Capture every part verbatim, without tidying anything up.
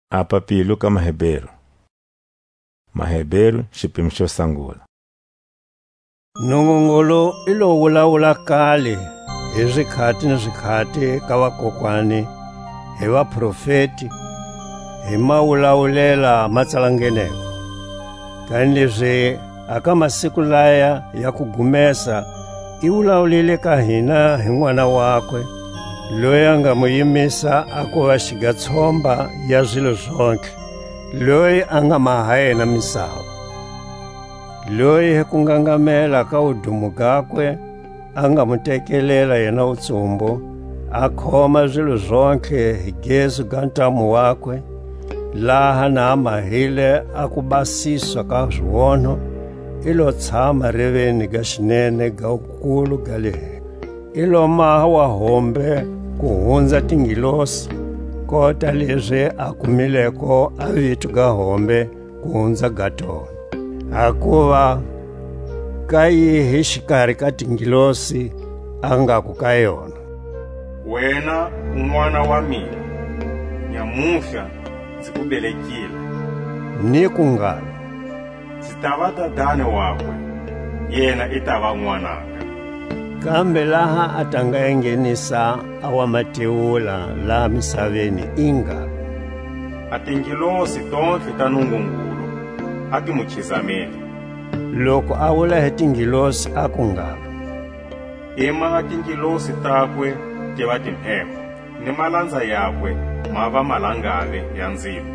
A papilo ka Maheberu. Maheberu, xipimo xo sangula. Nungungulu i lo wulawula kale hi zikhati ni zikhati ka vakokwani, hi vaprofeti, hi mawulawulela ma tsalangeneko. Kanilezi a ka masiku laya ya kugumesa, i wulawulile ka hina hi N'wana wakwe, loyi a nga mu yimisa a kuva xigatshomba ya zilo zontlhe, loyi a nga maha yena misava, loyi hi kungangamela ka wudumo gakwe, a nga mu tekelela yena wutsumbu, a khoma zilo zontlhe hi gezu ga ntamu wakwe, laha na a mahile a kubasiswa ka zionho, i lo tshama reveni ga xinene ga wukulu ga le henhla. I lo maha wa hombe ku hunza tingilosi, kota lezi a kumileko a vito ga hombe ku hunza ga tona. Hakuva ka yihi xikari ka tingilosi a ngaku ka yona: "Wena u n'wana wa mina, nyamuhla nzi ku belekile"? Ni ku ngalo: "Nzi tava dadani wakwe, yena i tava n'wananga"? Kambe laha a ta nga enghenisa a wa matewula laha misaveni, i ngalo: "A tingilosi tontlhe ta Nungungulu a ti mu khizamele." Loku a wula hi tingilosi, aku ngalo: "I maha tingilosi takwe tiva timheho, ni malanza yakwe ma va malangale ya nzilo."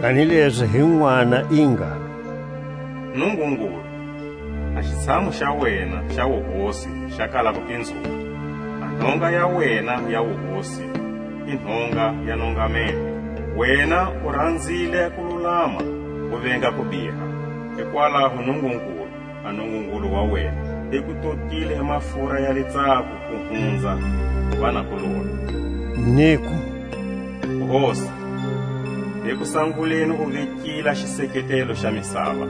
Kanilezi hi n'wana i ngalo: "Nungungulu, a xitshamu xa wena xa wuhosi xa kala ku pinzuka, a nhonga ya wena ya wuhosi i nhonga ya nongamelo. Wena u ranzile ku lulama, u venga ku biha, hikwalaho Nungungulu, a Nungungulu wa wena, i ku totile hi mafura ya litsako ku hunza vanakulorhe." Niku: "Hosi, hi kusanguleni u vekile a xiseketelo xa misava,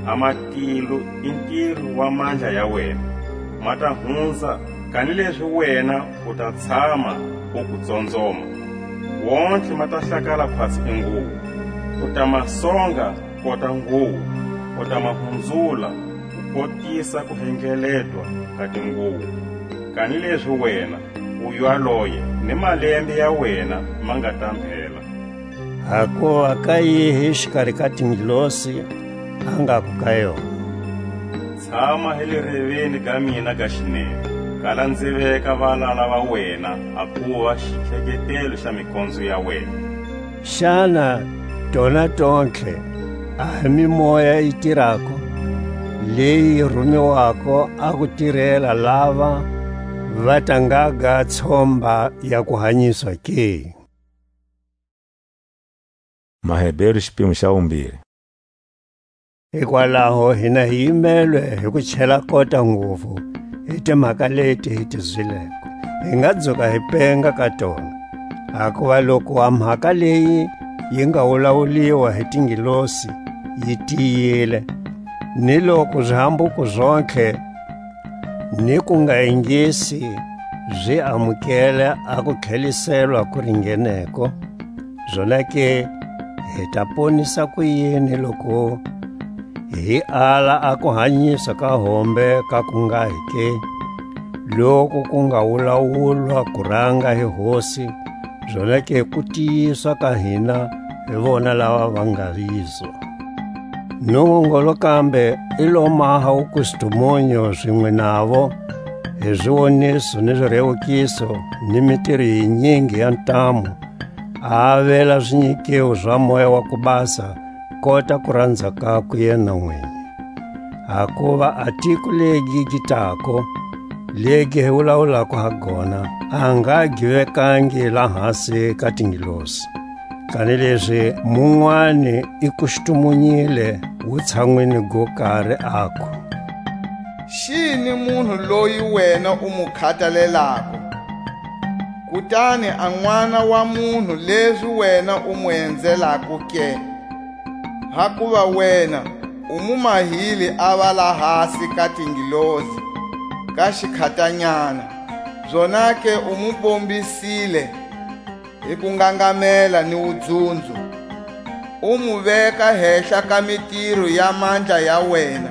a matilo i ntiro wa mandla ya wena, ma ta hunza, kanilezi wena u ta tshama u ku tsonzoma. Wontlhe ma ta hlakala khwatsi i nguwo, u ta ma songa kota nguwo, u ta ma hunzula, ku kotisa ku hengeletwa ka tinguwo. Kanilezi wena, u yaloye, ni malembe ya wena ma nga ta mhela." Hakuva ka yihi xikari ka tingilosi a ngaku ka yona: "Tshama hi le reveni ga mina ga xinene, kala nzi veka valala va wena a kuva xitlheketelo xa mikonzo ya wena"? Xana tona tontlhe a hi mimoya yi tirako, leyi yi rumiwako a ku tirela lava va ta ngaga tshomba ya kuhanyiswa ke? Maheberu, xipimo xa vumbiri. Hikwalaho hina hi yimelwe hi ku chela kota nguvu hi timhaka leti hi ti zwileko, hi nga dzuka hi penga ka tona. Hakuva loku a mhaka leyi yi nga wulawuliwa hi tingilosi yi tiyile, ni loku zihambuko zontlhe ni ku nga ingisi zi amukele a kutlheliselwa ku ringeneko, zonake hi ta ponisa kuyini loku hi ala a kuhanyisa ka hombe ka ku nga hi ke, loku ku nga wulawulwa kuranga hi Hosi, zonake ku tiyiswa ka hina hi vona lava va nga yizo? Nungungulu kambe i lo maha wukustumunyu zinwe navo, hi ziwoniso ni zirewukiso ni mitiro yinyingi ya ntamu, a avela zinyikiwo za Moya wa ku Basa, kota ku ranza kakwe yena nwinyi. Hakuva a tiko legi gi tako, legi hi wulawulako ha gona, a nga gi vekangi lahasi ka tingilosi. Kanilezi munwani i kustumunyile wutshanwini go kari, aku: "Xini munhu loyi wena u mu khatalelako? Kutani a n'wana wa munhu lezi wena u mu enzelako ke? Hakuva wena u mu mahile a va lahasi ka tingilosi ka xikhatanyana, zonake u mu bombisile hi ku ngangamela ni wudzunzo, U mu veka hehla ka mitiro ya mandla ya wena.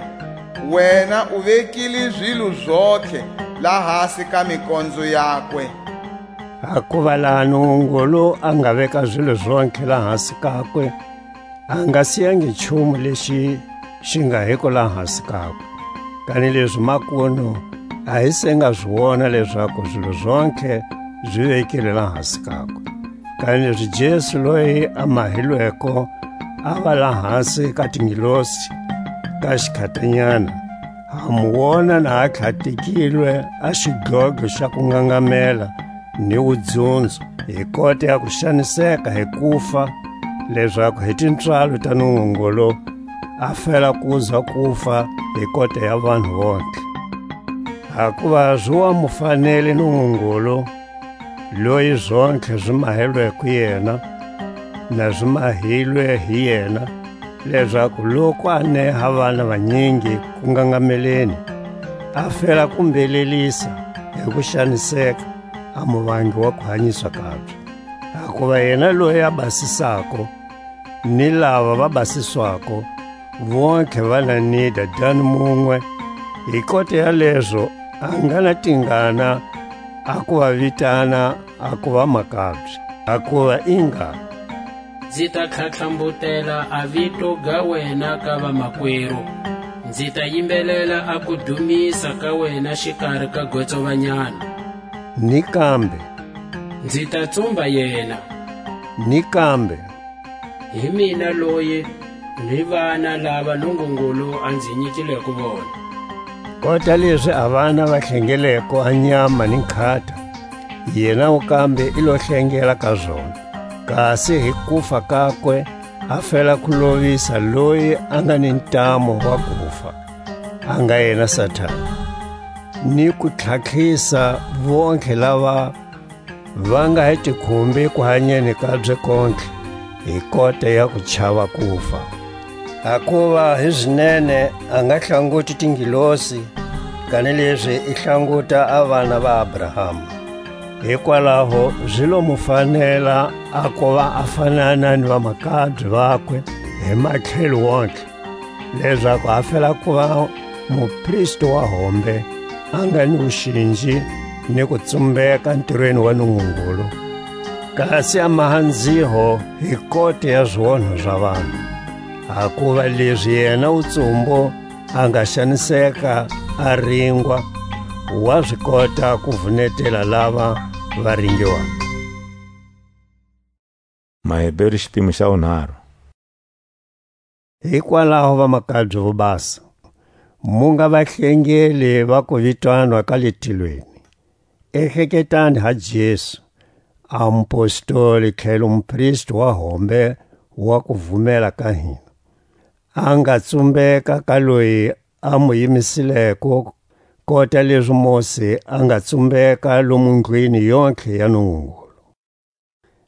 Wena u vekile zilo zontlhe lahasi ka mikonzo yakwe. Hakuva laha Nungungulu a nga veka zilo zontlhe lahasi kakwe, a nga siyangi nchumu lexi xi nga hiko lahasi kakwe. Kanilezi makunu a hi se nga zi wona lezaku zilo zontlhe zi vekile lahasi kakwe. Kanilezi Jesu loyi a mahilweko a va lahasi ka tingilosi ka xikhatanyana, ha mu wona na a tlhatekilwe a xidlodlo xa kungangamela ni wudzunzo, hi kota ya kuxaniseka hi kufa, lezaku hi tipswalo ta Nungungulu a fela kuza kufa hi kota ya vanhu vontlhe. Hakuva zi wa mu fanele Nungungulu, loyi zontlhe zi mahelweko yena, na zi mahilwe hi yena, lezaku loku a neha vana vanyingi kungangameleni, a fela ku mbelelisa hi kuxaniseka a muvangi wa kuhanyiswa kabye. Hakuva yena loyi a basisako, ni lava va basiswako, vontlhe va na ni Dadani munwe, hi kota ya lezo a nga na tingana a ku va vitana a ku va makabye. Hakuva i nga: Nzi ta tlhatlhambutela a vito ga wena ka vamakweru, nzi ta yimbelela a ku dumisa ka wena xikari ka gotsovanyana. Ni kambe: Nzi ta tsumba yena. Ni kambe: Hi mina loyi, ni vana lava Nungungulu a nzi nyikileko vona. Kota lezi a vana va hlengeleko a nyama ni nkhata, yena u kambe i lo hlengela ka zona. Kasi hi kufa kakwe, a fela ku lovisa loyi a nga ni ntamu wa kufa, a nga yena Satani, ni ku tlhatlhisa vontlhe lava va nga hi tikhumbi ku hanyeni kabye kontlhe hi kota ya ku chava kufa. Hakuva hi zinene a nga hlanguti tingilosi, kanilezi i hlanguta a vana va Abrahama. Hikwalaho zi lo mu fanela a kuva a fanana ni vamakabye vakwe hi matlhelo wontlhe, lezaku a fela kuva mupristi wa hombe, a nga ni wuxinji ni kutsumbeka ntirweni wa Nungungulu, kasi a maha nziho hi kota ya zionho za vanhu. Hakuva lezi yena wutsumbo a nga xaniseka, a ringwa, wa zi kota ku vunetela lava va ringiwako. Maheberu xipimo xa wunharhu. Hikwalaho, vamakabye vo basa, mu nga vahlengeli va ku vitanwa ka le tilweni. Ehleketani ha Jesu, a mupostoli tlhelo mupristi wa hombe wa ku vumela ka hina, a nga tsumbeka ka loyi a mu yimisileko, kota lezi Mose a nga tsumbeka lomu ndlwini yontlhe ya Nungungulu.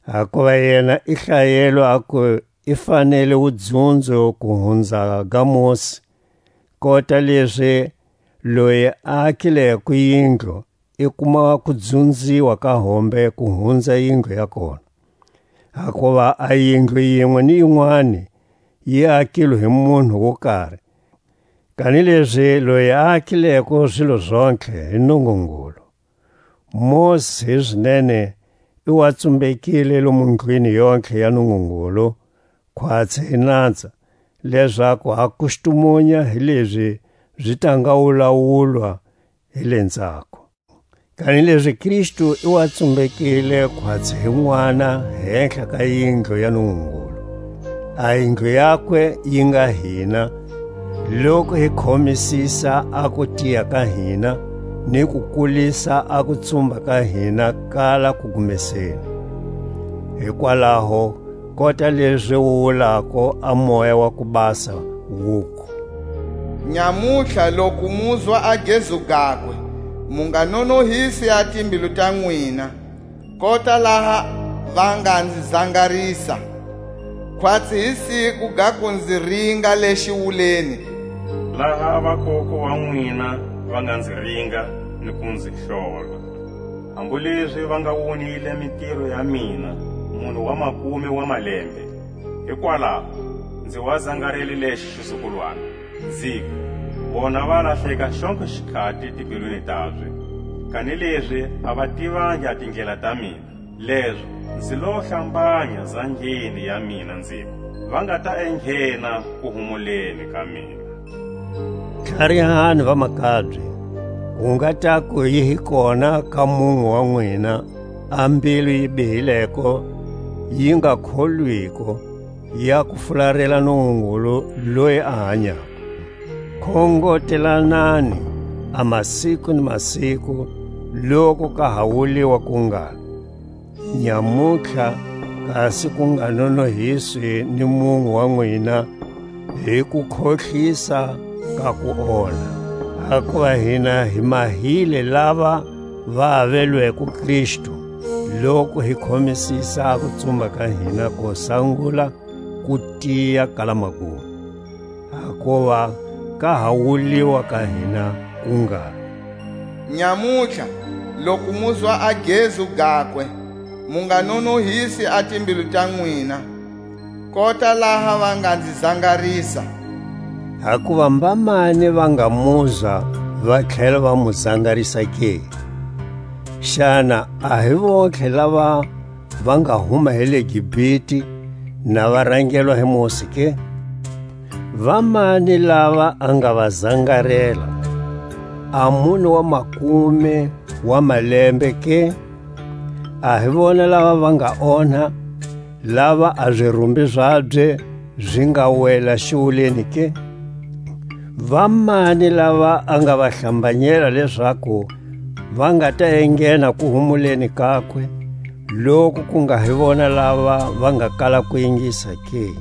Hakuva yena i hlayelwe aku i fanele wudzunzo ku hunza ga Mose, kota lezi loyi a akileko yindlu i kuma kudzunziwa ka hombe ku hunza yindlu ya kona. Hakuva a yindlu yinwe ni yinwani yi akilwe hi munhu wo kari, kanilezi loyi a akileko zilo zontlhe hi Nungungulu. Mose hi zinene i wa tsumbekile lomu ndlwini yontlhe ya Nungungulu, khwatsi hi nanza, lezaku a kustumunya hi lezi zi ta nga wulawulwa hi le ndzhaku. Kanilezi Kristu i wa tsumbekile khwatsi hi n'wana hehla ka yindlu ya Nungungulu. A yindlu yakwe yi nga hina, loku hi khomisisa a kutiya ka hina, ni ku kulisa a kutsumba ka hina kala kugumeseni. Hikwalaho, kota lezi wu wulako a Moya wa ku Basa, wuku: Nyamutlha loku muzwa a gezu gakwe, mu nga nonohisi a timbilu ta n'wina, kota laha va nga nzi zangarisa, khwatsi hi siku ga ku nzi ringa le xiwuleni, laha a vakoko va n'wina va nga nzi ringa ni ku nzi hlola. Hambu lezi va nga wonile mitiro ya mina, munhu wa makume wa malembe, Hikwalaho nzi wa zangarele lexi xizukulwana, nziku: Vona va lahleka xontlhe xikhati timbilwini tabye, kanilezi a va tivangi a tindlela ta mina. Lezo nzi lo hlambanya zangeni ya mina, nziku: Va nga ta enghena kuhumuleni ka mina. Tlharihani, vamakabye, ku nga taku yi hi kona ka munwe wa nwina a mbilu yi bihileko, yi nga kholwiko, ya ku fularela Nungungulu loyi a hanyako. Khongotelanani a masiku ni masiku, loku ka ha wuliwa ku ngalo: Nyamutlha, kasi ku nga nonohiswi ni munwe wa nwina hi kukhohlisa ka kuonha. Hakuva hina hi mahile lava va avelweko Kristu, loku hi khomisisa a kutsumba ka hina ko sangula ku tiya ka lamagumo. Hakuva ka ha wuliwa ka hina ku ngalo: Nyamutlha, loku muzwa a gezu gakwe, mu nga nonohisi a timbilu ta nwina, kota laha va nga nzi zangarisa. Hakuva mbamani va nga muzwa va tlhela va mu zangarisa ke? Xana a hi vontlhe lava va nga huma hi le Gibhiti, na va rangelwa hi Mosi ke? Vamani lava a nga va zangarela? A mune wa makume wa malembe ke? A hi vona lava va nga onha, lava a zirumbi zabye zi nga wela xiwuleni ke? Vamani lava a nga va hlambanyela lezaku va nga ta enghena kuhumuleni kakwe, loku ku nga hi vona lava va nga kala ku ingisa ke?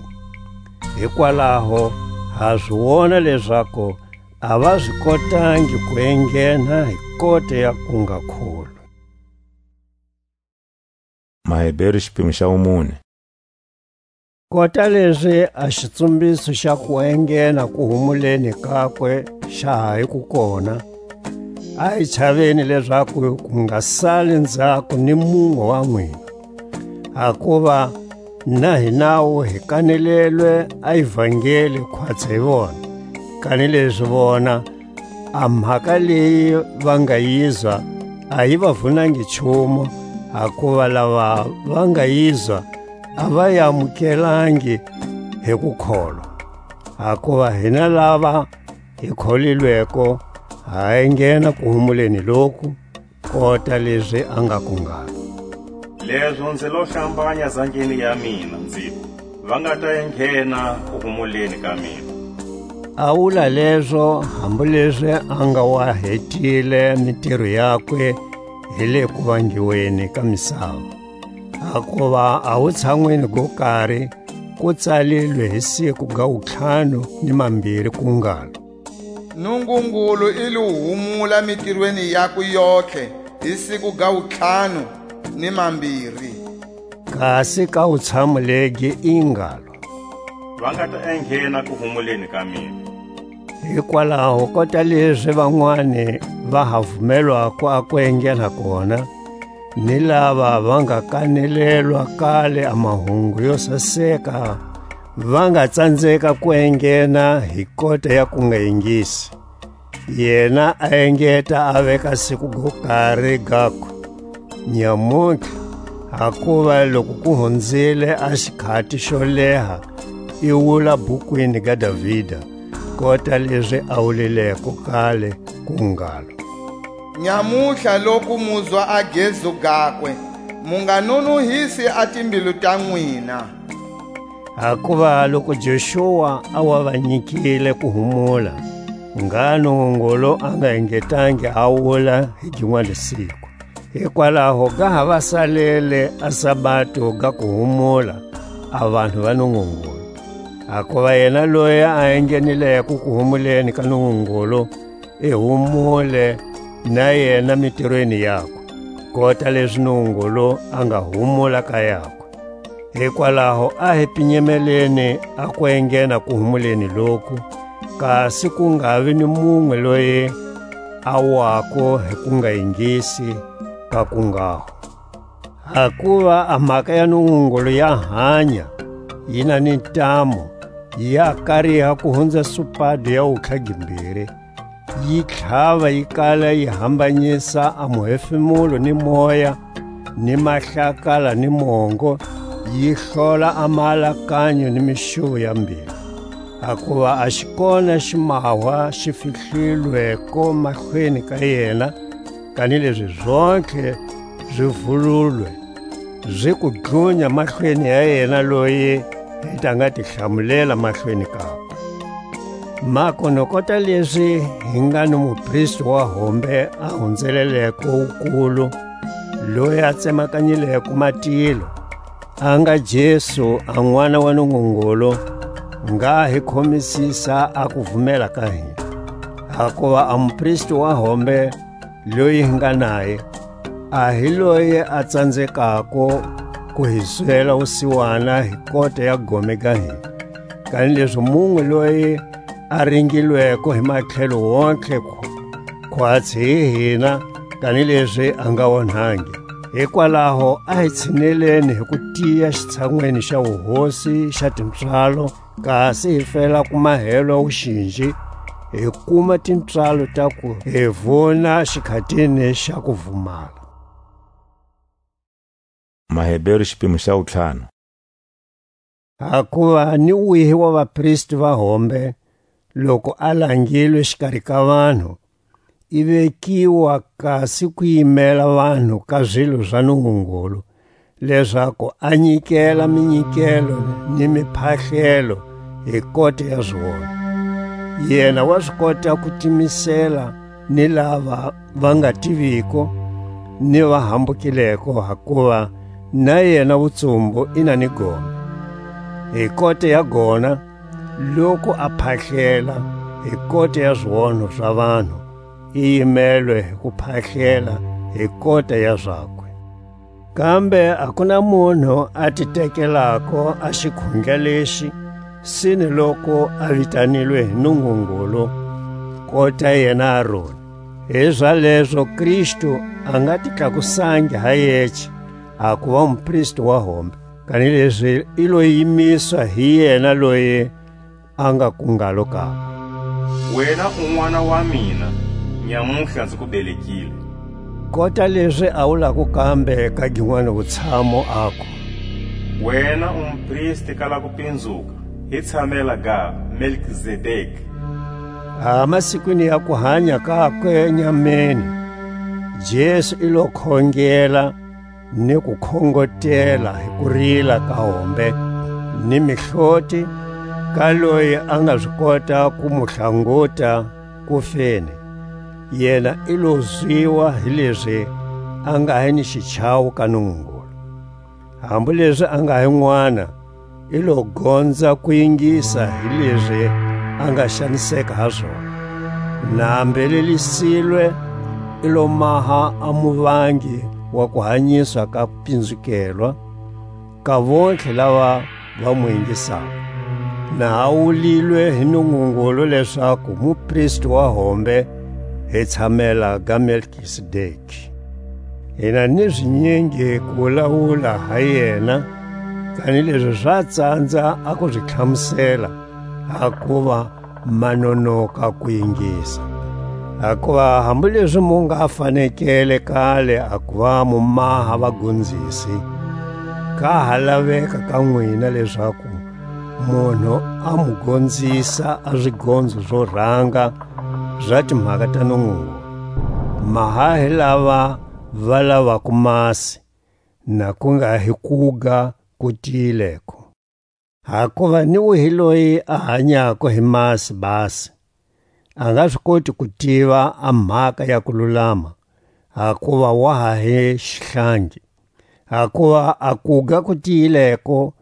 Hikwalaho ha zi wona lezaku a va zi kotangi ku enghena hi kota ya ku nga kholwi. Maheberu, xipimo xa wumune. Kota lezi a xitsumbiso xa ku enghena kuhumuleni kakwe xa ha hi ku kona, a hi chaveni lezaku ku nga sali nzhaku ni munwe wa n'wina. Hakuva na hi nawu hi kanelelwe a ivangeli khwatsi hi vona, kanilezi vona a mhaka leyi va nga yizwa a yi va vunangi nchumu, hakuva lava va nga yizwa a va yi amukelangi hi ku kholwa. Hakuva hina lava hi kholilweko, ha enghena kuhumuleni loku, kota lezi a nga ku ngalo: Lezo nzi lo hlambanya zangeni ya mina, nziku: Va nga ta enghena kuhumuleni ka mina. A wula lezo, hambu lezi a nga wa hetile mitiro yakwe hi le kuvangiweni ka misava. Hakuva a wutshanwini go kari ku tsalilwe hi siku ga wutlhanu ni mambiri ku ngalo: Nungungulu i lo humula mitirweni yakwe yontlhe hi siku ga wutlhanu ni mambiri. Kasi ka wutshamu legi i ngalo: Va nga ta enghena kuhumuleni ka mina. Hikwalaho kota lezi vanwani va ha vumelwako a ku enghena kona, ni lava va nga kanelelwa kale a mahungu yo saseka, va nga tsanzeka ku enghena hi kota ya ku nga ingisi. Yena a engeta a veka siku go kari gakwe: Nyamutlha, hakuva loku ku hunzile a xikhati xo leha, i wula bukwini ga Davida, kota lezi a wulileko kale, ku ngalo: Nyamutlha loku muzwa a gezu gakwe, mu nga nonohisi a timbilu ta nwina. Hakuva loku Joxua a wa va nyikile ku humula, ngha Nungungulu a nga engetangi a wula hi ginwani siku. Hikwalaho ga ha va salele a sabato ga ku humula a vanhu va Nungungulu. Hakuva yena loyi a enghenileko kuhumuleni ka Nungungulu, i humule na yena mitirweni yakwe, kota lezi Nungungulu a nga humula ka yakwe. Hikwalaho a hi pinyemeleni a ku enghena kuhumuleni loku, kasi ku nga vi ni munwe loyi a wako hi ku nga ingisi ka ku nghaho. Hakuva a mhaka ya Nungungulu ya hanya, yi na ni ntamu, ya kariha ku hunza supado ya wukhla gimbiri, yi tlhava, yi kala yi hambanyisa a muhefemulo ni moya, ni mahlakala ni mongo, yi hlola a maalakanyo ni mixuvo ya mbilu. Hakuva a xi kona ximahwa xi fihlilweko mahlweni ka yena, kanilezi zontlhe zi vululwe, zi ku dlunya mahlweni ya yena loyi hi ta nga ti hlamulela mahlweni kakwe. Makunu kota lezi hi nga ni mupristi wa hombe a hunzeleleko wukulu, loyi a tsemakanyileko matilo, a nga Jesu, a N'wana wa Nungungulu, ngha hi khomisisa a kuvumela ka hina. Hakuva a mupristi wa hombe loyi hi nga naye, a hi loyi a tsanzekako ku hi zwela wusiwana hi kota ya gome ga hina, kanilezi munwe loyi a ringilweko hi matlhelo wontlhe khwatsi hi hina, kanilezi a nga onhangi. Hikwalaho a hi tshineleni hi ku tiya xitshan'weni xa wuhosi xa tipswalo, kasi hi fela ku mahelwa wuxinji, hi kuma tipswalo ta ku hi vuna xikhatini xa kuvumala. Maheberu, xipimo xa wutlhanu. Hakuva ni wihi wa vapristi va hombe, loku a langilwe xikari ka vanhu, i vekiwa kasi ku yimela vanhu ka zilo za Nungungulu, lezaku a nyikela minyikelo ni miphahlelo hi kota ya zona. Yena wa zi kota ku timisela ni lava va nga tiviko, ni va hambukileko, hakuva na yena wutsumbu i na ni gome. Hi kota ya gona, loku a phahlela hi kota ya zionho za vanhu, i yimelwe hi ku phahlela hi kota ya zakwe. Kambe a ku na munhu a ti tekelako a xikhundla lexi, sine loku a vitanilwe hi Nungungulu, kota yena Aroni. Hizalezo Kristu a nga ti tlakusangi ha yece, a kuva mupristi wa hombe, kanilezi i lo yimiswa hi yena loyi a nga ku ngalo kakwe: Wena u n'wana wa mina, nyamuhla nzi ku belekile. Kota lezi a wulako kambe ka ginwani wutshamu, aku: Wena u mupristi ka la ku pinzuka, hi tshamela ga Melkizedeki. A masikwini ya kuhanya kakwe nyameni, Jesu i lo khongela ni ku khongotela hi kurila ka hombe ni mihloti ka loyi a nga zi kota ku mu hlanguta kufeni. Yena i lo zwiwa hi lezi a nga hi ni xichawo ka Nungungulu. Hambu lezi a nga hi n'wana, i lo gonza ku yingisa hi lezi a nga xaniseka ha zona. Na mbelelisilwe, i lo maha a muvangi wa kuhanyiswa ka pinzukelwa ka vontlhe lava va mu yingisako. Na a wulilwe hi Nungungulu lezaku mupristi wa hombe hi tshamela ga Melkisedeki. Hi na ni zinyingi ku wulawula ha yena, kanilezi za tsandza a ku zi hlamusela, hakuva ma nonoka ku yingisa. Hakuva hambu lezi mu nga fanekele kale a kuva mu maha vagonzisi, ka ha laveka ka nwina lezaku munhu a mu gonzisa a zigonzo zo ranga za timhaka ta Nungungulu. Maha hi lava va lavako masi, na ku nga hi kuga ku tiyileko. Hakuva ni wihi loyi a hanyako hi masi basi, a nga zi koti ku tiva a mhaka ya kululama, hakuva wa ha hi xihlangi. Hakuva a kuga ku tiyileko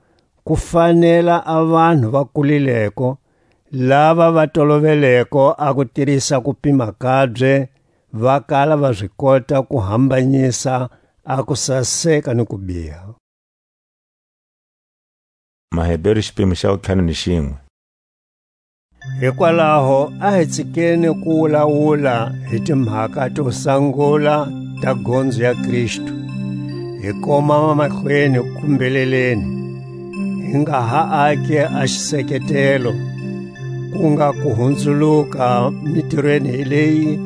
ku fanela a vanhu va kulileko, lava va toloveleko a ku tirisa kupima kabye, va kala va zi kota ku hambanyisa a kusaseka ni kubiha. Maheberu, xipimo xa wutlhanu ni xinwe. Hikwalaho a hi tsikeni ku wulawula hi timhaka to sangula ta gondzo ya Kristu, hi komama mahlweni ku mbeleleni, hi nga ha ake a xiseketelo, ku nga ku hunzuluka mitirweni leyi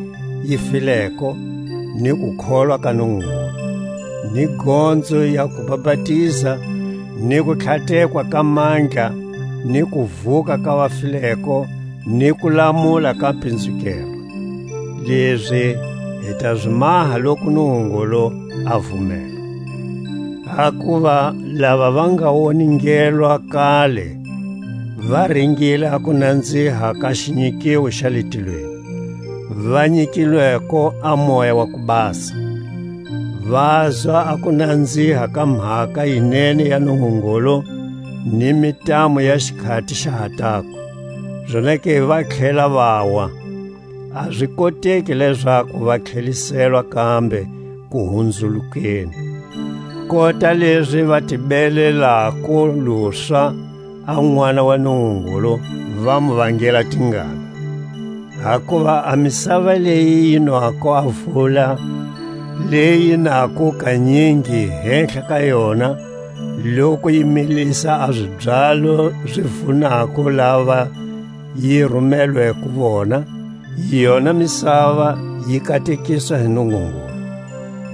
yi fileko, ni kukholwa ka Nungungulu, ni gonzo ya kubapatiza, ni kutlhatekwa ka mandla, ni kuvuka ka vafileko, ni kulamula ka pinzukelwa. Lezi hi ta zi maha loku Nungungulu a vumela. Hakuva lava va nga woningelwa kale va ringile a kunanziha ka xinyikiwo xa le tilweni, va nyikilweko a Moya wa ku Basa. Vazwa a kunanziha ka mhaka yinene ya Nungungulu ni mitamu ya xikhati xa ha tako, zonake va tlhela vawa. A zi koteki lezaku va tlheliselwa kambe kuhunzulukeni. Kota lezi va ti belelako luswa a N'wana wa Nungungulu, va mu vangela tingana. Hakuva a misava leyi yi nwako a vula, leyi nako kanyingi hehla ka yona, loku yi milisa a zibyalo zi vunako lava yi rumelweko vona, yona misava yi katekiswa hi Nungungulu.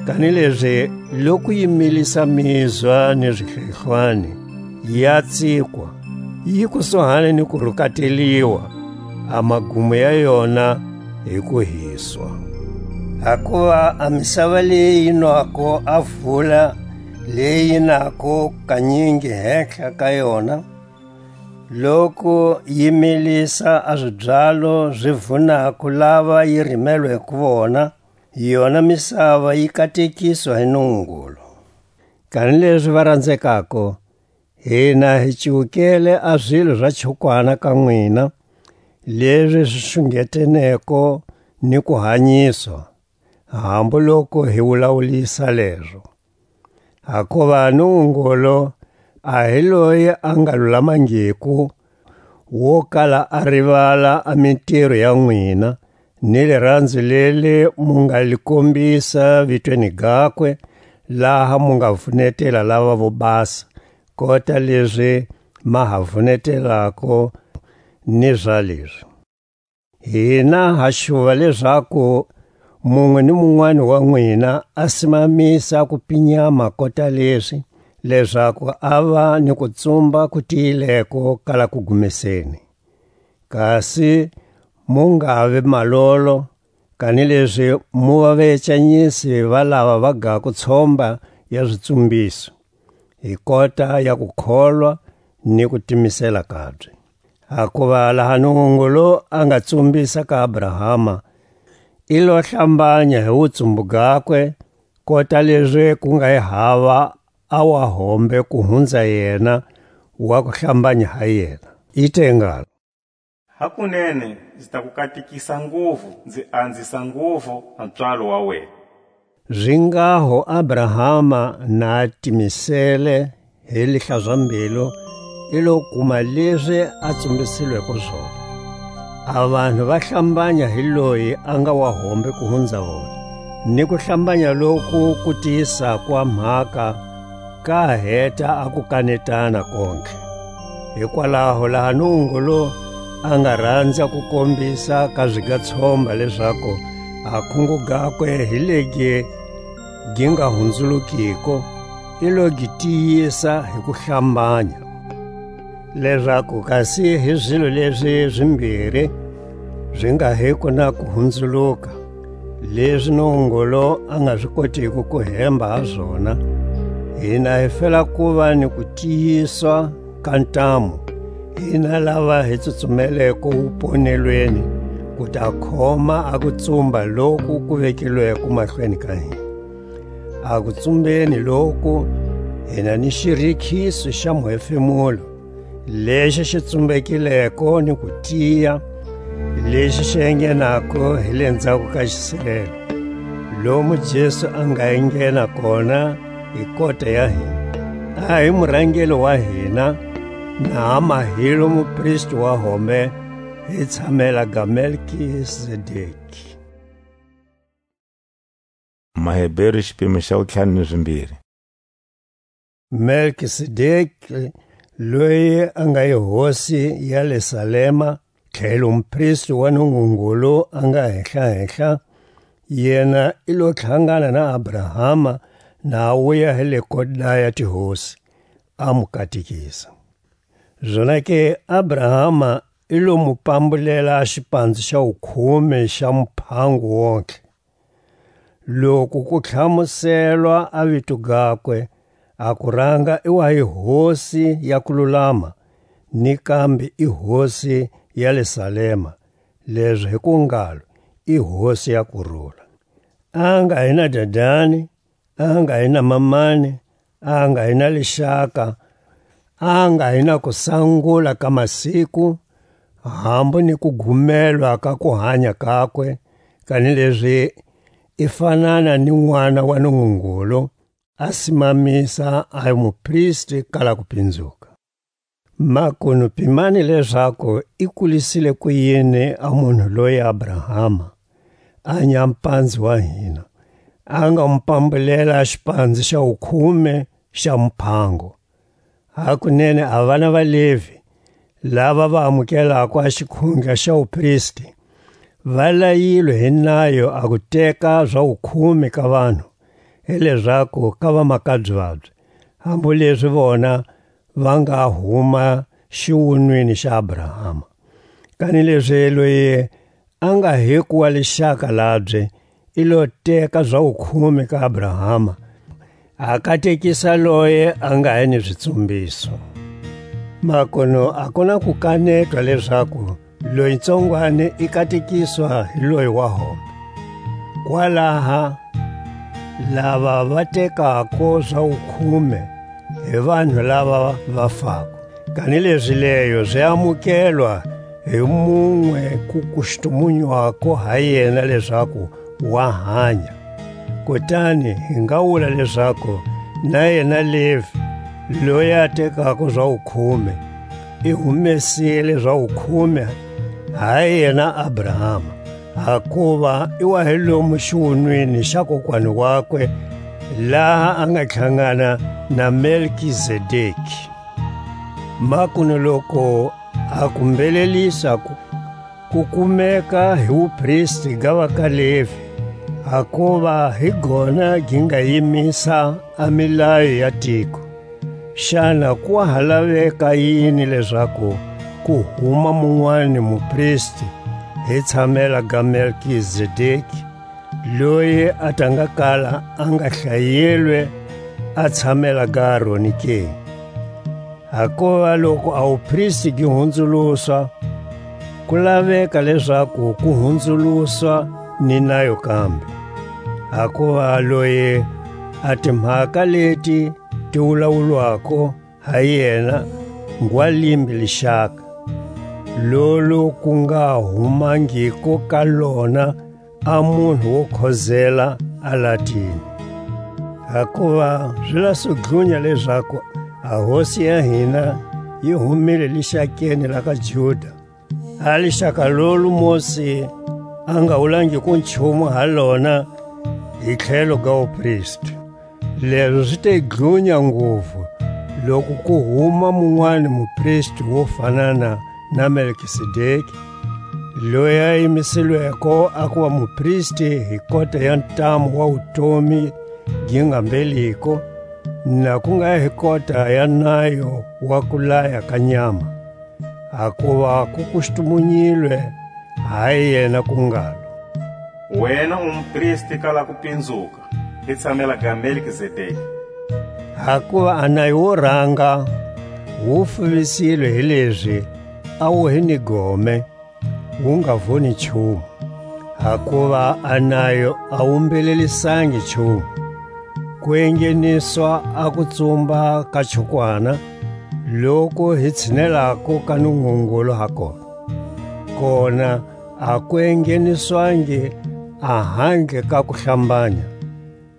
Kanilezi loku yi milisa mizwa ni zihlehlwani, ya tsikwa, yi kusuhani ni ku rukateliwa, a magumo ya yona hi ku hiswa. Hakuva a misava leyi yi nwako a vula leyi nako kanyingi hehla ka yona, loku yi milisa a zibyalo zi vunako lava yi rimelweko vona, yona misava yi katekiswa hi Nungungulu. Kanilezi va ranzekako, hina hi cuwukele a zilo za chukwana ka nwina, lezi zi xungeteneko ni kuhanyiswa, hambu loku hi wulawulisa lezo. Hakuva Nungungulu a hi loyi a nga lulamangiku, wo kala a rivala a mitiro ya nwina, ni liranzo leli mu nga li kombisa vitweni gakwe, laha mu nga vunetela lava vo basa, kota lezi ma ha vunetelako ni za lezi. Hina ha xuva lezaku munwe ni munwani wa nwina a simamisa kupinyama kota lezi, lezaku a va ni kutsumba ku tiyileko ka la kugumeseni. Kasi mu nga vi malolo, kanilezi mu va vecanyisi va lava va gako tshomba ya zitsumbiso, hi kota ya kukholwa ni kutimisela kabye. Hakuva laha Nungungulu a nga tsumbisa ka Abrahama, i lo hlambanya hi wutsumbu gakwe, kota lezi ku nga yi hava a wa hombe ku hunza yena wa ku hlambanya ha yena. I te ngalo: Hakunene nzi ta ku katekisa nguvu, nzi anzisa nguvu a pswalo wa wena. Zingaho Abrahama na timisele hi lihlazambilu, i lo kuma lezi a tsumbisilweko zona. A vanhu va hlambanya hi loyi a nga wa hombe ku hunza vona, ni ku hlambanya loku ku tiyisako a mhaka, ka heta a ku kanetana kontlhe. Hikwalaho laha Nungungulu a nga ranza ku kombisa ka zigatshomba lezaku a khungo gakwe hi legi gi nga hunzulukiko, i lo gi tiyisa hi ku hlambanya, lezaku kasi hi zilo lezi zimbiri zi nga hiko na ku hunzuluka, lezi Nungungulu a nga zi kotiko ku hemba ha zona, hina hi fela kuva ni kutiyiswa ka ntamu, hina lava hi tsutsumeleko wuponelweni, ku ta khoma a kutsumba loku ku vekilweko mahlweni ka hina. A kutsumbeni loku, hina ni xirikhiso xa muhefemulo, lexi xi tsumbekileko ni ku tiya, lexi xi engenako hi le ndzhaku ka xisilelo, lomu Jesu a nga enghena kona hi kota ya hina. A hi murangeli wa hina, na ha mahilo mupristi wa hombe, hi tshamela ga Melkizedeki. Maheberu, xipimo xa wutlhanu ni zimbiri. Melkisedeki loyi a nga yi hosi ya le Salema, tlhelo mupristi wa Nungungulu a nga henhla-henhla, yena i lo tlhangana na Abrahama, na a wuya hi le kota ya tihosi, a mu katekisa. Zonake Abrahama i lo mu pambulela a xipanzu xa wukhume xa muphango wontlhe. Loku ku tlhamuselwa a vito gakwe, a kuranga i wa hi hosi ya kululama, ni kambe i hosi ya le Salema, lezo hi ku ngalo, i hosi ya kurula. A nga hi na dadani, a nga hi na mamani, a nga hi na lixaka, a nga hi na ku sangula ka masiku, hambu ni ku gumelwa ka ku hanya kakwe, kanilezi i fanana ni n'wana wa Nungungulu, a simamisa a mupristi kala ku pinzuka. Makunu pimani lezaku i kulisile ku yini a munhu loyi Abrahama, a nyampanzi wa hina, a nga mu pambulela a xipanzi xa wukhume xa muphango. Hakunene a vana va Levi, lava va amukelako a xikhundla xa wupristi, va layilwe hi nayo a ku teka za wukhume ka vanhu, hi lezaku ka vamakabye vabye, hambu lezi vona va nga huma xiwunwini xa Abrahama. Kanilezi loyi a nga hi ku wa lixaka labye, i lo teka za wukhume ka Abrahama, a katekisa loye a nga hi ni zitsumbiso. Makunu a ku na ku kanetwa lezaku loyi ntsongwani i katekiswa hi loyi wa hombe. Kwalaha lava va tekako za wukhume hi vanhu lava va fako. Kanilezi leyo zi amukelwa hi munwe ku kustumunywako ha yena lezaku wa hanya. Kutani hi nga wula lezaku na yena Levi, loyi a tekako za wukhume, i humesile za wukhume ha yena Abrahama, hakuva i wa hi lomu xiwunwini xa kokwani wakwe, laha a nga tlhangana na Melkizedeki. Makunu loku a ku mbelelisa ku, ku kumeka hi wupristi ga va ka Levi, hakuva hi gona gi nga yimisa a milayo ya tiko. Xana ku wa ha laveka yini lezaku ku huma munwani mupristi hi tshamela ga Melkizedeki, loyi a ta nga kala a nga hlayelwe a tshamela ga Aroni ke? Hakuva loku a wupristi gi hunzuluswa, ku laveka lezaku ku hunzuluswa ni nayo kambe. Hakuva loyi a timhaka leti ti wulawulwako ha yena ngwa limbe lixaka, lolo ku nga humangiko ka lona a munhu wo khozela a latini. Hakuva zi la sudlunya lezaku a hosi ya hina yi humile lixakeni la ka Juda, a lixaka lolo Mosi a nga wulangiko nchumu ha lona hi tlhelo ga wupristi. Lezo zi te dlunya nguvu, loku ku huma munwani mupristi wo fanana na Melkisedeki, loyi a yimisilweko a kuva mupristi hi kota ya ntamu wa wutomi gi nga mbeliko, na ku nga hi kota ya nayo wa kulaya ka nyama. Hakuva ku kustumunyilwe ha yena ku ngalo: Wena u mupristi kala ku pinzuka, hi tshamela ga Melkizedeki. Hakuva a nayo wo ranga wu fuvisilwe hi lezi a wu hi ni gome, wu nga voni nchumu. Hakuva a nayo a wu mbelelisangi nchumu, ku engheniswa a kutsumba ka chukwana, loku hi tshinelako ka Nungungulu ha kona. Kona a ku engheniswangi a handle ka ku hlambanya.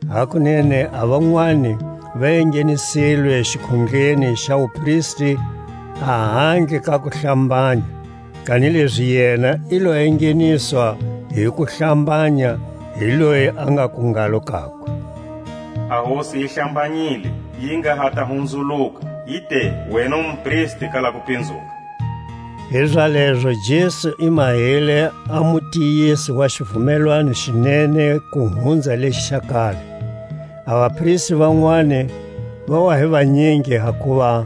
Hakunene a vanwani va enghenisilwe xikhundleni xa wupristi a handle ka ku hlambanya, kanilezi yena i lo engheniswa hi ku hlambanya hi loyi a nga ku ngalo kakwe: A Hosi yi hlambanyile, yi nga ha ta hunzuluka, I te, wena u mupristi kala ku pinzuka. Hizalezo Jesu i mahile a mutiyisi wa xivumelwano xi nene ku hunza lexi xa kale. A vapristi vanwani va wa hi vanyingi, hakuva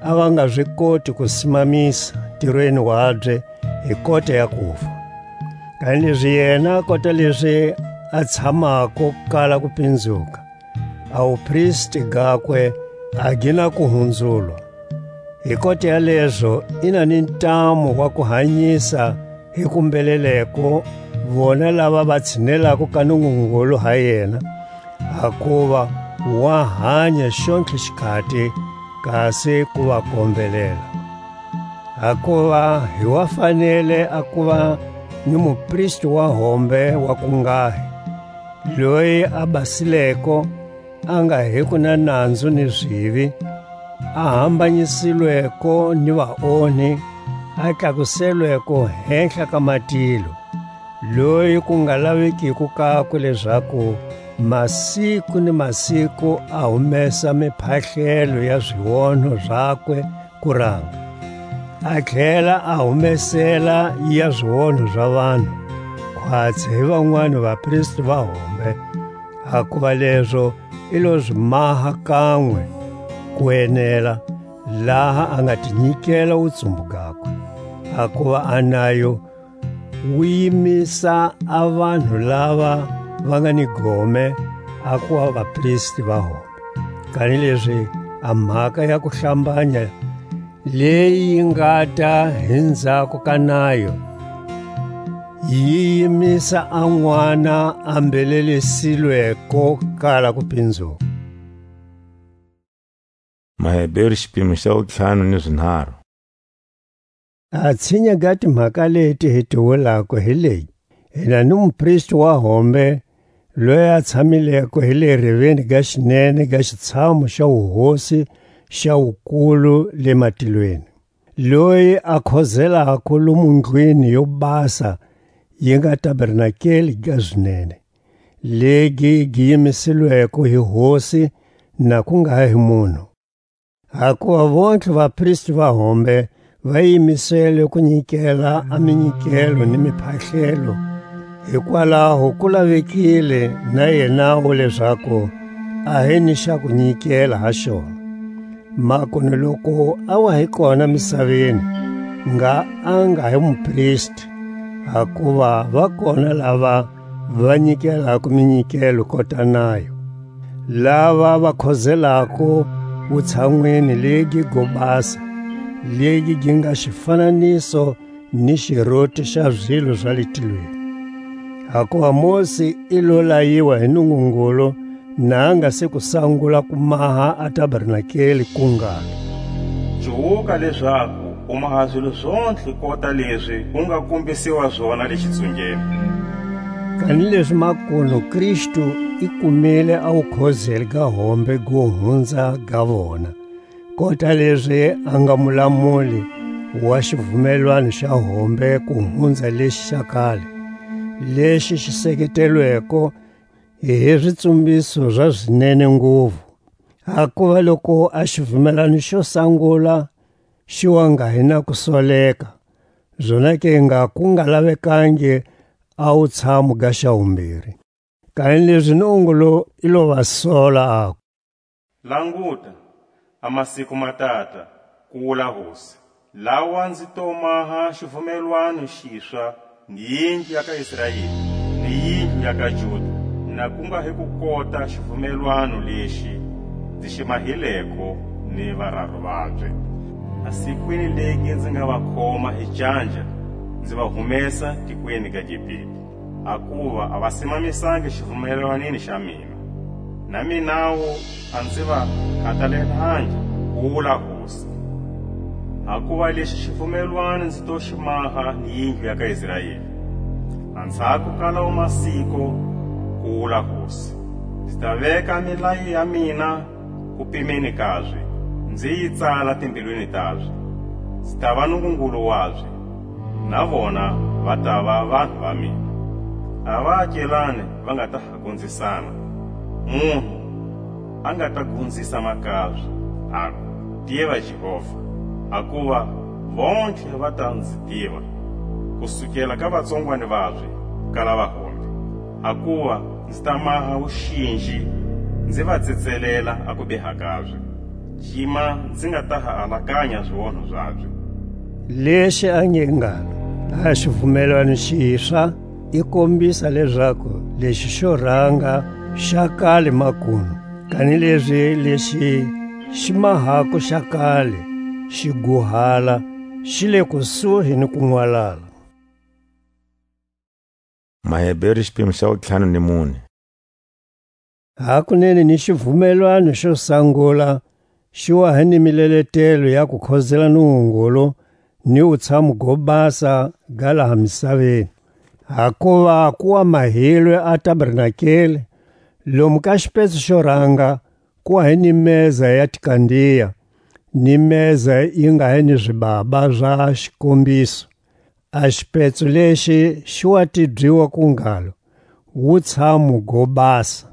a va nga zi koti ku simamisa ntirweni wabye hi kota ya kufa. Kanilezi yena, kota lezi a tshamako kala ku pinzuka, a wupristi gakwe a gi na ku hunzulwa. Hi kota ya lezo, i na ni ntamu wa ku hanyisa hi ku mbheleleko vona lava va tshinelako ka Nungungulu ha yena, hakuva wa hanya xontlhe xikhati, kasi ku va kombelela. Hakuva hi wa fanele a kuva ni mupristi wa hombe wa kungahi, loyi a basileko, a nga hiko na nanzu ni zivi, a hambanyisilweko ni vaonhi, a tlakuselweko hehla ka matilo, loyi ku nga lavekiko kakwe lezaku masiku ni masiku a humesa miphahlelo ya zionho zakwe kuranga, a tlhela a humesela ya zionho za vanhu, khwatsi hi vanwani vapristi va hombe, hakuva lezo i lo zi maha kanwe ku enela, laha a nga ti nyikela wutsumbu gakwe, hakuva a nayo wu yimisa a vanhu lava va nga ni gome a kuva vapristi va hombe. Kanilezi a mhaka ya ku hlambanya leyi yi ngata hi ndzhaku ka nayo, yi yimisa a n'wana a mbelelisilweko kala ku pinzuka. Maheberu, xipimo xa wutlhanu ni zinharhu. A tshinya ga timhaka leti hi ti wulako hi leyi: Hina ni mupristi wa hombe, loyi a tshamileko hi le reveni ga xinene ga xitshamu xa wuhosi xa wukulu le matilweni, loyi a khozelako lomu ndlwini yo basa yi nga tabernakeli ga zinene, legi gi yimisilweko hi Hosi, na ku nga hi munhu. Hakuva vontlhe vapristi va hombe va yimisele ku nyikela a minyikelo ni miphahlelo, hikwalaho ku lavekile na yenawu lezaku a hi ni xa ku nyikela ha xona. Makunu loku a wa hi kona misaveni, ngha a nga hi mupristi, hakuva va kona lava va nyikelako minyikelo kota nayo, lava va khozelako wutshanwini legi go basa, legi gi nga xifananiso ni xiroti xa zilo za le tilweni. Hakuva Mosi i lo layiwa hi Nungungulu, na a nga se ku sangula ku maha a tabernakeli, ku ngalo: Cuwuka lezaku u maha zilo zontlhe kota lezi u nga kombisiwa zona le xitsungeni. Kanilezi makunu Kristu i kumile a wukhozeli ga hombe go hunza ga vona, kota lezi a nga mulamuli wa xivumelwano xa hombe ku hunza lexi xa kale, lexi xi seketelweko hi zitsumbiso za zinene nguvu. Hakuva loku a xivumelwano xo sangula xi wa nga hi na ku soleka, zonake nga ku nga lavekangi a wutshamu ga xa wumbiri. Kanilezi Nungungulu i lo va sola, aku: Languta, a masiku ma tata, ku wula Hosi, lawa nzi to maha xivumelwano xiswa ni yindlu ya ka Israeli, ni yindlu ya ka Juda, na ku nga hi ku kota xivumelwano lexi nzi xi mahileko ni vararu vabye, a sikwini legi nzi nga va khoma hi canja, nzi va humesa tikweni ga Egipita. Hakuva a va simamisangi xivumelwanini xa mina, na minawu a nzi va khatalelangi, ku wula Hosi. Hakuva lexi xivumelwano nzi to xi maha ni yindlu ya ka Israeli, andzhaku ka lawo masiko, ku wula Hosi, nzi ta veka milayo ya mina ku pimeni kabye, nzi yi tsala timbilwini tabye. Nzi ta va Nungungulu wabye, na vona va ta va vanhu va mina. A vaakelani va nga ta ha gonzisana, munhu a nga ta gonzisa makabye, aku: Tiva Jehovha, hakuva vontlhe va ta nzi tiva, kusukela ka vatsongwani vabye ka lavahombe. Hakuva nzi ta maha wuxinji, nzi va tsetselela a kubiha kabye, cima nzi nga ta ha alakanya zionho zabye. Lexi a nge ngalo, a xivumelwano xiswa, i kombisa lezaku lexi xo ranga xa kale makunu, kanilezi lexi xi mahako xa kale xi guhala, xi le kusuhi ni ku nwalala. Maheberu, xipimo xa wutlhanu ni mune. Hakunene ni xivumelwano xo sangula xi wa hi ni mileletelo ya ku khozela Nungungulu ni wutshamu go basa ga laha misaveni. Hakuva ku wa mahilwe a tabernakele, lomu ka xipetso xo ranga ku wa hi ni meza ya tikandiya, ni meza yi nga hi ni zibaba za xikombiso. A xipetso lexi xi wa tibyiwa ku ngalo, wutshamu go basa.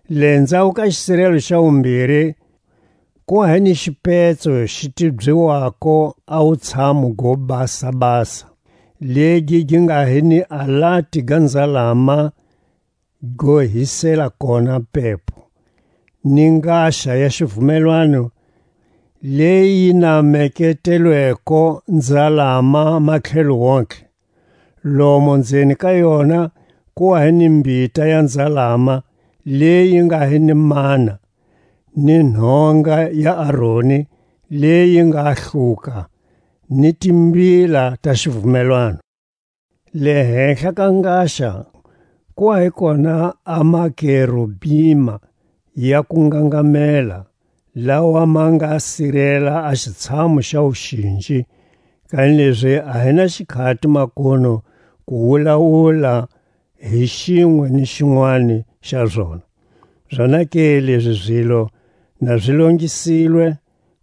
Le ndzhaku ka xisirelo xa wumbiri, ku wa hi ni xipetso xi tibyiwako a wutshamu go basa-basa, legi gi nga hi ni alati ga nzalama go hisela kona pepo, ni ngaxa ya xivumelwano, leyi yi nameketelweko nzalama matlhelo wontlhe. Lomo ndzeni ka yona ku wa hi ni mbita ya nzalama leyi nga hi ni mana, ni nhonga ya Aroni leyi nga hluka, ni timbila ta xivumelwano. Le henhla ka ngaxa ku wa hi kona a makerubima ya ku ngangamela, lawa ma nga sirela a xitshamu xa wuxinji, kanilezi a hi na xikhati makono ku wulawula hi xinwe ni xinwani xa zona. Zonake lezi zilo na zi longisilwe,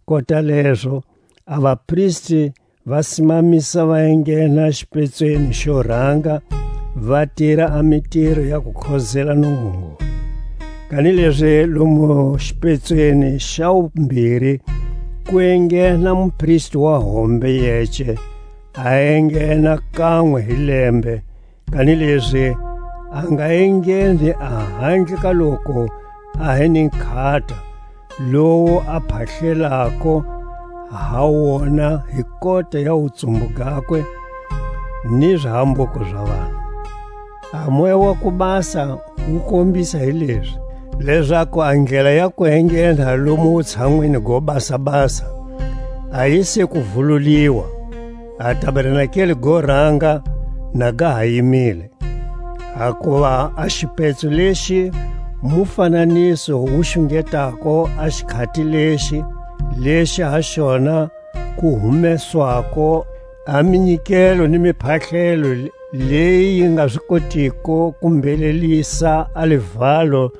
kota lezo a vapristi va simamisa va enghena xipetsweni xo ranga, va tira a mitiro ya ku khozela Nungungulu. Kanilezi lomu xipetsweni xa wumbiri ku enghena mupristi wa hombe yece, a enghena kanwe hi lembe, kanilezi a nga engheni a handle ka loko a hi ni nkhata, lowu a phahlelako ha wona hi kota ya wutsumbu gakwe ni zahambuko za vanhu. A Moya wa ku Basa wu kombisa hi lezi, lezaku a ndlela ya ku enghena lomu wutshanwini go basa-basa a yi se ku vululiwa, a tabernakele go ranga na ga ha yimile. Hakuva a xipetso lexi mufananiso wu xungetako a xikhati lexi, lexi ha xona ku humeswako a minyikelo ni miphahlelo leyi yi nga zi kotiko ku mbhelelisa a livalo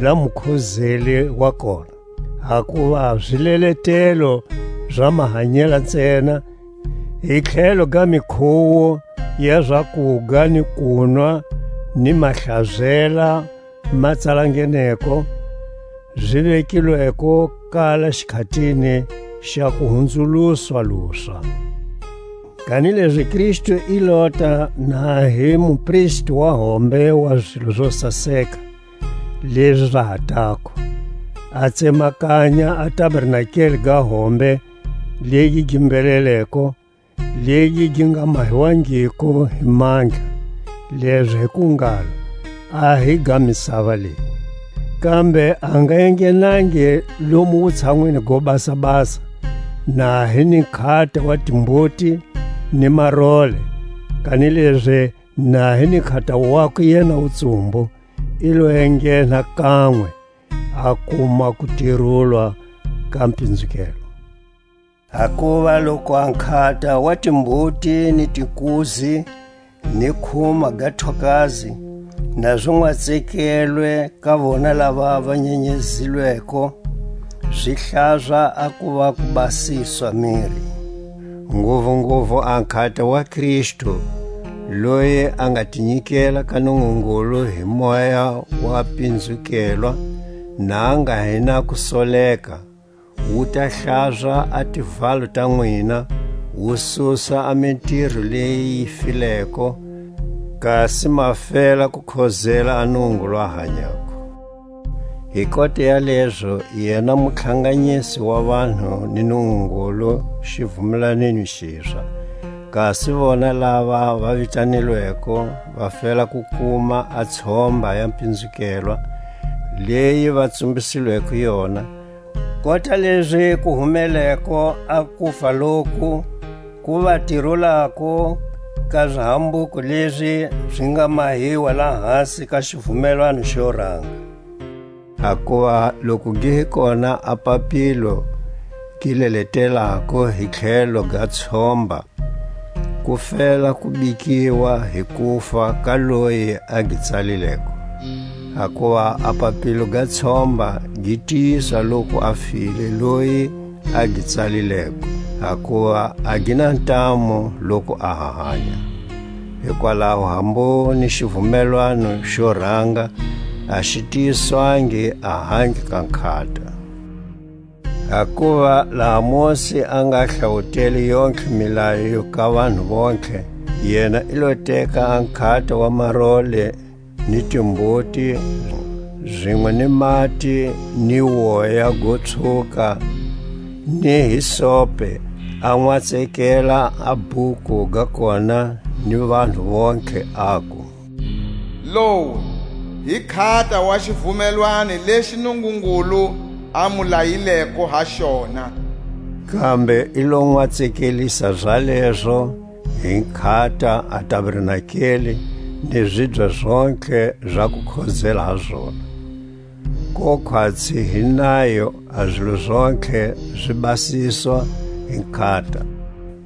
la mukhozeli wa kona. Hakuva zileletelo za mahanyela ntsena, hi tlhelo ga mikhuwo ya zakuga ni kunwa ni mahlazela ma tsalangeneko, zi vekilweko kala xikhatini xa kuhunzuluswa luswa. Kanilezi Kristu i lota na hi mupristi wa hombe wa zilo zo saseka, lezi za ha tako, a tsemakanya a tabernakele ga hombe legi gi mbheleleko, legi gi nga mahiwangiko hi mandla, lezi hi ku ngalo, a hi ga misava leyi. Kambe a nga enghenangi lomu wutshanwini go basa-basa, na hi ni nkhata wa timbuti ni marole, kanilezi na hi ni nkhata wakwe yena wutsumbu, i lo enghena kanwe, a kuma ku tirulwa ka mpinzukelo. Hakuva loku a nkhata wa timbuti ni tinkuzi ni khuma ga thokazi na zi nwatsekelwe ka vona lava va nyenyezilweko, zi hlaza a kuva ku basiswa miri. Nguvunguvu a nkhata wa Kristu, loyi a nga tinyikela ka Nungungulu hi Moya wa pinzukelwa, na a nga hi na kusoleka, wu ta hlaza a tivalo ta nwina, wu susa a mitiro leyi yi fileko, kasi ma fela ku khozela a Nungungulu a hanyako. Hi kota ya lezo, yena mutlhanganyisi wa vanhu ni Nungungulu xivumelanweni xiswa, kasi vona lava va vitanilweko va fela ku kuma a tshomba ya mpinzukelwa, leyi va tsumbisilweko yona, kota lezi ku humeleko a kufa loku ku va tirulako ka zihambuko lezi zi nga mahiwa lahasi ka xivumelwano xo ranga. Hakuva loku gi hi kona a papilo gi leletelako hi tlhelo ga tshomba, ku fela ku bikiwa hi kufa ka loyi a gi tsalileko. Hakuva a papilo ga tshomba gi tiyisa loku a file loyi a gi tsalileko, hakuva a gi na ntamu loku a ha hanya. Hikwalaho hambu ni xivumelwano xo ranga a xi tiyiswangi a handle ka nkhata. Hakuva laha Mosi a nga hlawutele yontlhe milayo ka vanhu vontlhe, yena i lo teka a nkhata wa marole ni timbuti, zinwe ni mati, ni woya go tshuka, ni hisope, a nwatsekela a buku ga kona ni vanhu vontlhe, aku: Lowu hi nkhata wa xivumelwani lexi Nungungulu a mu layileko ha xona. Kambe i lo nwatsekelisa zalezo hi nkhata a tabernakeli ni zibya zontlhe za ku khozela ha zona. Ko khwatsi hi nayo a zilo zontlhe zi basiswa hi nkhata,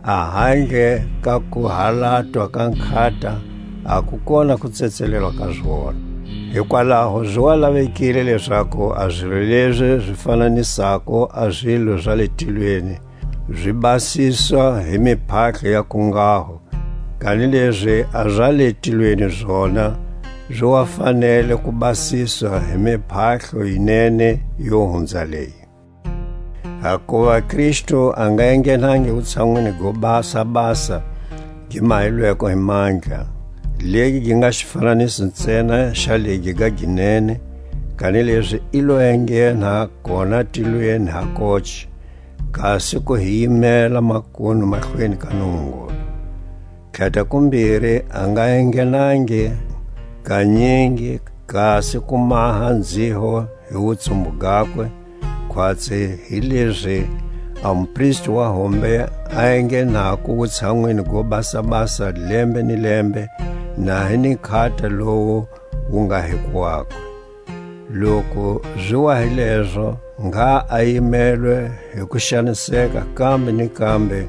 a handle ka ku halatwa ka nkhata, a ku kona ku tsetselelwa ka zona. Hikwalaho zi wa lavekile lezaku a zilo lezi zi fananisako a zilo za le tilweni zi basiswa hi miphahlo ya kungaho, kanilezi a za le tilweni zona zi wa fanele ku basiswa hi miphahlo yi nene yo hunza leyi. Hakuva Kristu a nga enghenangi wutshanwini go basa-basa gi mahilweko hi mandla, legi gi nga xifananiso ntsena xa legi ga ginene, kanilezi i lo enghena kona tilweni ha koci, kasi ku hi yimela makunu mahlweni ka Nungungulu. Khata kumbiri a nga enghenangi kanyingi, kasi ku maha nziho hi wutsumbu gakwe, khwatsi hi lezi a mupristi wa hombe a enghenako wutshanwini go basa-basa lembe ni lembe, na hi ni nkhata lowu wu nga hi kwakwe. Loku zi wa hi lezo, ngha a yimelwe hi ku xaniseka kambe ni kambe,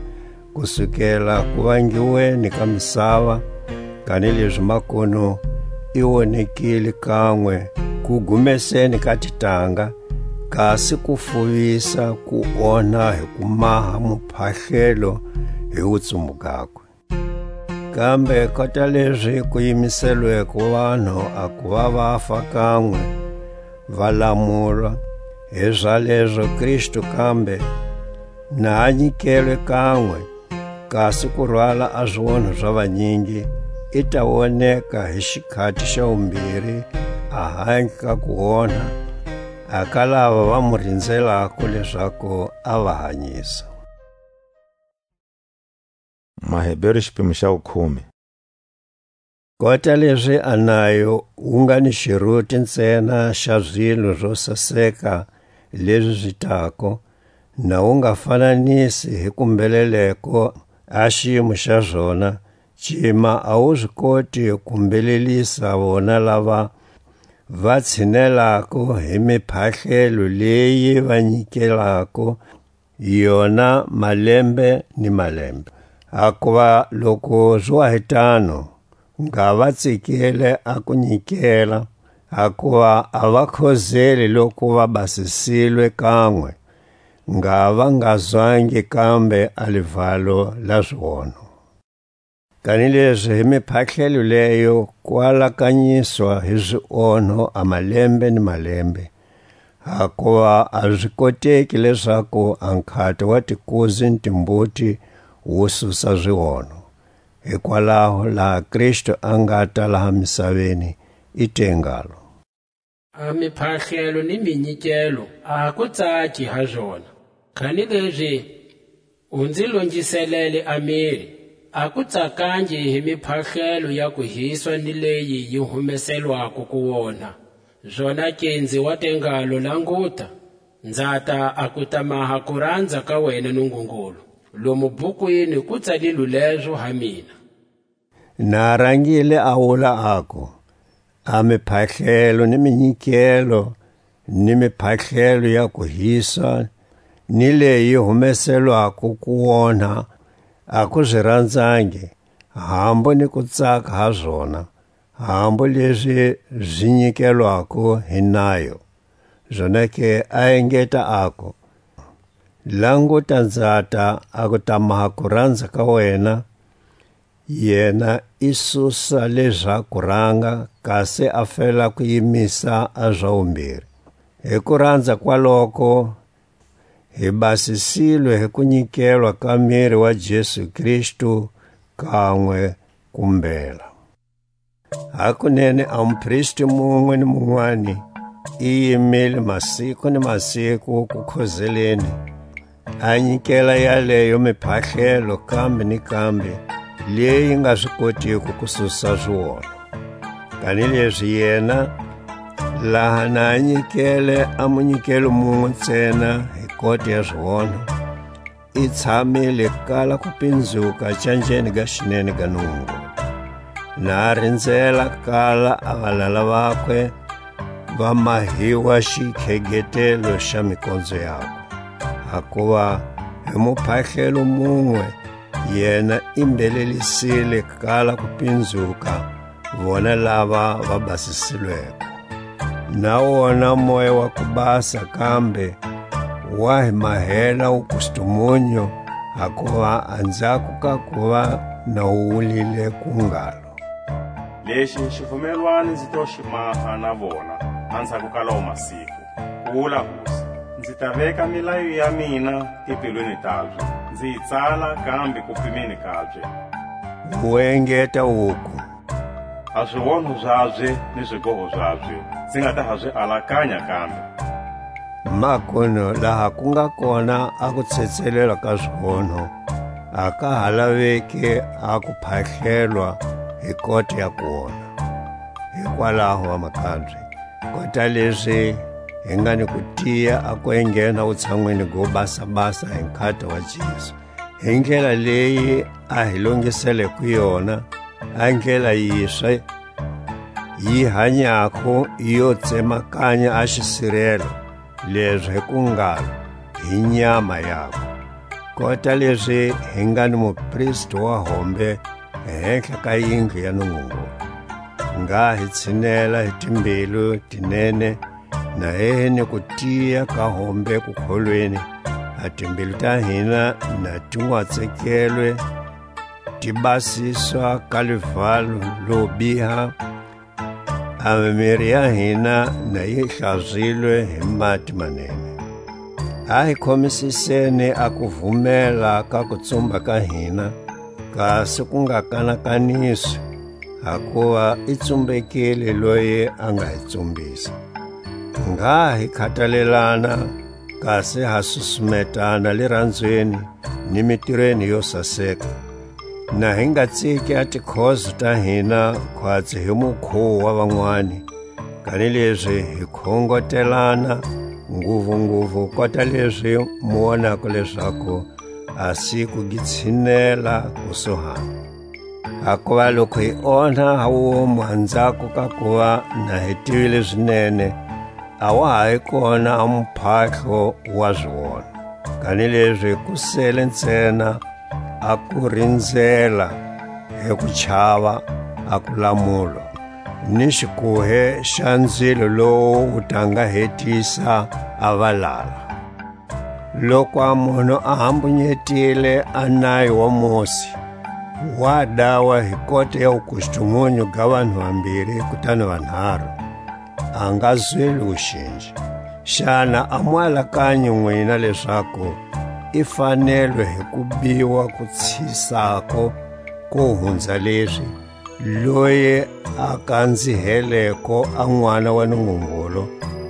kusukela ku vangiweni ka misava, kanilezi makunu i wonekile kanwe ku gumeseni ka titanga, kasi ku fuvisa ku onha hi ku maha muphahlelo hi wutsumbu gakwe. Kambe kota lezi ku yimiselweko vanhu a ku va vafa kanwe, va lamulwa, hi zalezo Kristu kambe na a nyikelwe kanwe, kasi ku rwala a zionho za vanyingi, i ta woneka hi xikhati xa wumbiri, a handle ka ku onha, a ka lava va mu rinzelako lezaku a va hanyisa. Maheberu xipimo xa vukhume. Kota lezi a nayo wu nga ni xiruti ntsena xa zilo zo saseka lezi zi tako, na wu nga fananisi hi kumbeleleko a xiyimo xa zona, cima a wu zi koti ku mbelelisa vona lava va tshinelako hi miphahlelo leyi va nyikelako yona malembe ni malembe. Hakuva loku zwa hi tano, nga va tsikile a ku nyikela, hakuva a va khozeli loku va basisilwe kanwe, nga va nga zwangi kambe a livalo la zionho. Kanilezi hi miphahlelo leyo ku alakanyiswa hi zionho a malembe ni malembe, Hakuva a zi koteki lezaku a nkhata wa tikuzi ni timbuti wu susa zionho. Hikwalaho laha Kristu a ngata laha misaveni, i te ngalo: A miphahlelo ni minyikelo a ha ku tsaki ha zona, kanilezi u nzi longiselele a miri. A ku tsakangi hi miphahlelo ya kuhiswa ni leyi yi humeselwako ku wona. Zonake nzi wa te ngalo: Languta, nzata a ku ta maha kuranza ka wena Nungungulu. Lomu bukwini ku tsalilwe lezo ha mina. Na rangile a wula aku: A miphahlelo ni minyikelo, ni miphahlelo ya kuhiswa, ni leyi humeselwako ku wonha, a ku zi ranzangi, hambu ni ku tsaka ha zona, hambu lezi zi nyikelwako hi nayo. Zonake a engeta aku: Languta, nzata a ku ta maha kuranza ka wena, yena i susa leza kuranga, kasi a fela ku yimisa a za wumbiri. Hi kuranza kwaloko, hi basisilwe hi kunyikelwa ka miri wa Jesu Kristu kanwe kumbela. Hakunene a mupristi munwe ni munwani i yimile masiku ni masiku ku khozeleni, a nyikela yaleyo miphahlelo kambe ni kambe, leyi nga swi kotiko ku susa zionho. Kanilezi yena, laha na a nyikele a munyikelo munwe ntsena hi kota ya zionho, i tshamile kala ku pinzuka canjeni ga xinene ga Nungungulu. Na a rinzela kala a valala vakwe va mahiwa xikhegetelo xa mikonzo yakwe. Hakuva hi muphahlelo munwe yena i mbhelelisile kala ku pinzuka vona lava va basisilweko. Na wona Moya wa ku Basa kambe wa hi mahela wukustumunyu, hakuva anzhako ka kuva na wu wulile ku ngalo: Lexi xivumelwani nzi to xi maha na vona anzhako ka lawo masiku, ku wula Hosi. Nzi ta veka milayo ya mina timbilwini tabye, nzi yi tsala kambe kupimeni kabye. Wu engeta wuku: A zionho zabye ni zigoho zabye, nzi nga ta ha zi alakanya kambe. Makunu laha ku nga kona a kutsetselelwa ka zionho, a ka ha laveki a kuphahlelwa hi kota ya kona. Hikwalaho, vamakabye, kota lezi hi nga ni kutiya a ku enghena wutshanwini go basa-basa hi nkhata wa Jesu, hi ndlela leyi a hi longiseleko yona, a ndlela yiswe, yi hanyako, yo tsemakanya a xisirelo, lezi hi ku ngalo, hi nyama yakwe. Kota lezi hi nga ni mupristi wa hombe hehla ka yindlu ya Nungungulu, ngha hi tshinela hi timbilu ti nene, na hi hi ni kutiya ka hombe kukholweni, a timbilu ta hina na ti nwatsekelwe, ti basiswa ka livalo lo biha, a mimiri ya hina na yi hlazilwe hi mati manene. A hi khomisiseni a kuvumela ka kutsumba ka hina, kasi ku nga kanakaniswi, hakuva i tsumbekile loyi a nga hi tsumbisa. Ngha hi khatalelana, kasi ha susumetana liranzweni ni mitirweni yo saseka. Na hi nga tsiki a tikhozo ta hina khwatsi hi mukhuwo wa vanwani, kanilezi hi khongotelana, nguvunguvu kota lezi mu wonako lezaku a siku gi tshinela kusuhana. Hakuva loku hi onha ha womu anzhako ka kuva na hi tivile zinene, a wa ha hi kona a muphahlo wa zionho. Kanilezi ku sele ntsena a ku rinzela hi ku chava a kulamulwa, ni xikuhe xa nzilo lowu wu ta nga hetisa a valala. Loku a munhu a hambunyetile a nayo wa Mosi, wa dawa hi kota ya wukustumunyu ga vanhu vambiri kutani vanharu, a nga zweli wuxinji. Xana a mu alakanyi nwina lezaku i fanelwe hi ku biwa ku tshisako ko hunza lezi, loyi a kanziheleko a N'wana wa Nungungulu,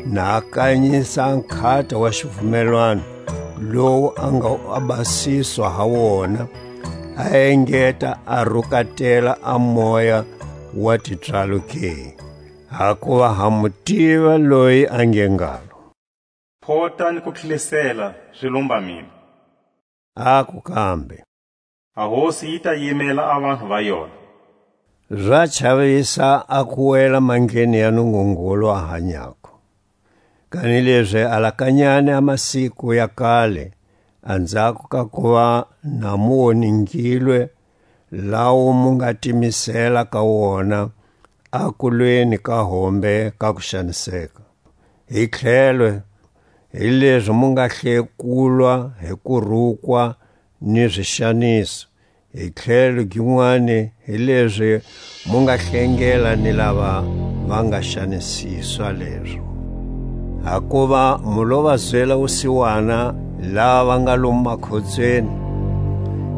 na a kanyisa a nkhata wa xivumelwano, lowu a nga a basiswa ha wona, a engeta a rukatela a moya wa tipswalo ke? Hakuva ha mu tiva loyi a nge ngalo: Phota ni ku tlhelisela zi lumba mina. Aku kambe: A Hosi yi ta yimela a vanhu va yona. Za chavisa a ku wela mandleni ya Nungungulu a hanyako. Kanilezi alakanyani a masiku ya kale, anzhako ka kuva na mu woningilwe, lawo mu nga timisela ka wona a kulweni ka hombe ka kuxaniseka. Hi tlhelo, hilezi mu nga hlekulwa hi kurukwa ni zixaniso, hi tlhelo ginwani, hilezi mu nga hlengela ni lava va nga xanisiswa lezo. Hakuva mu lo va zwela wusiwana lava va nga lomu makhotsweni,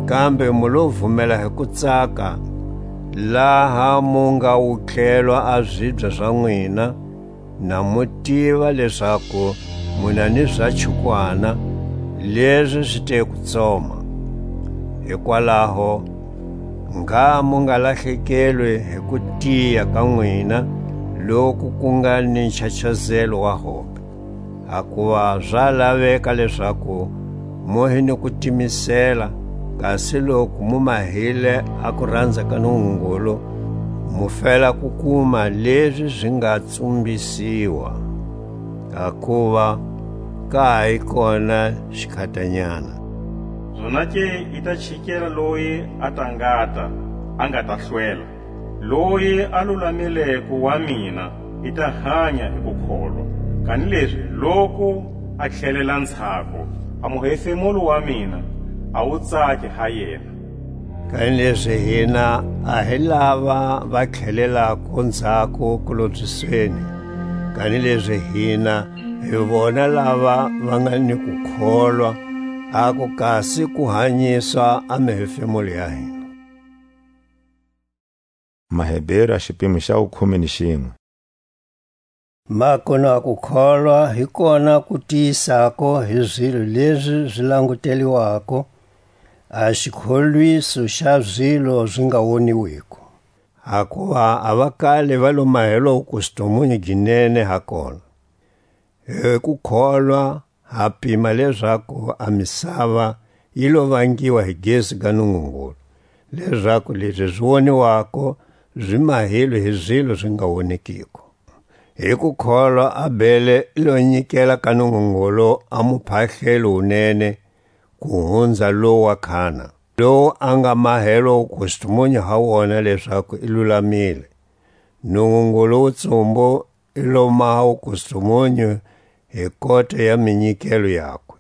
kambe mu lo vumela hi ku tsaka, laha mu nga wutlelwa a zibya za nwina, na mu tiva lezaku mu na ni za chukwana, lezi zi te ku tsoma. Hikwalaho, ngha mu nga lahlekelwi hi ku tiya ka nwina, loku ku nga ni nchachazelo wa hombe. Hakuva za laveka lezaku mu hi ni ku timisela, kasi loku mu mahile a kuranza ka Nungungulu, mu fela ku kuma lezi zi nga tsumbisiwa, hakuva ka ha yi kona xikhatanyana. Zonake i ta chikela loyi a ta ngata, a nga ta hlwela. Loyi a lulamileko wa mina i ta hanya hi kukholwa. Kanilezi loku a tlhelela ntshaku, a muhefemulo wa mina a wu tsaki ha yena. Kanilezi hina a hi lava va tlhelelako ntshaku kulobyisweni, kanilezi hina hi vona lava va nga ni kukholwa, aku kasi ku hanyisa a mihefemulo ya hina. Maheberu a xipimo xa wukhume ni xinwe. Makunu a kukholwa hi kona ku tiyisako hi zilo lezi zi languteliwako, a xikholwiso xa zilo zi nga woniwiko. Hakuva a va kale va lo mahelwa wukustumunyu gi nene ha kona. Hi kukholwa ha pima lezaku a misava yi lo vangiwa hi gezi ga Nungungulu, lezaku lezi zi woniwako zi mahilwe hi zilo zi nga wonekiko. Hi kukholwa Abele i lo nyikela ka Nungungulu a muphahlelo wunene ku hunza lowu wa Khana, lowu a nga mahelwa wukustumunyu ha wona lezaku i lulamile. Nungungulu wutsumbu i lo maha wukustumunyu hi kota ya minyikelo yakwe.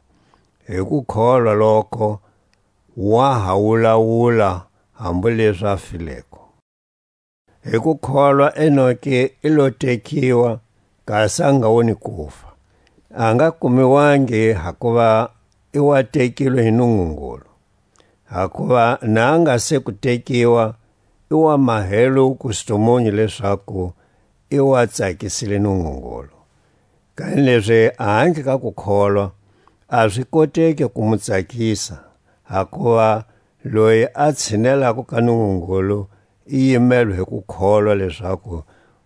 Hi kukholwa loko wa ha wulawula hambu lezi a fileko. Hi kukholwa Enoke i lo tekiwa, kasi a nga woni kufa. A nga kumiwangi hakuva i wa tekilwe hi Nungungulu. Hakuva na a nga se ku tekiwa, i wa mahelwe wukustumunyu lezaku i wa tsakisile Nungungulu. Kanilezi a handle ka kukholwa, a zi koteki ku mu tsakisa, hakuva loyi a tshinelako ka Nungungulu i yimelwe hi kukholwa lezaku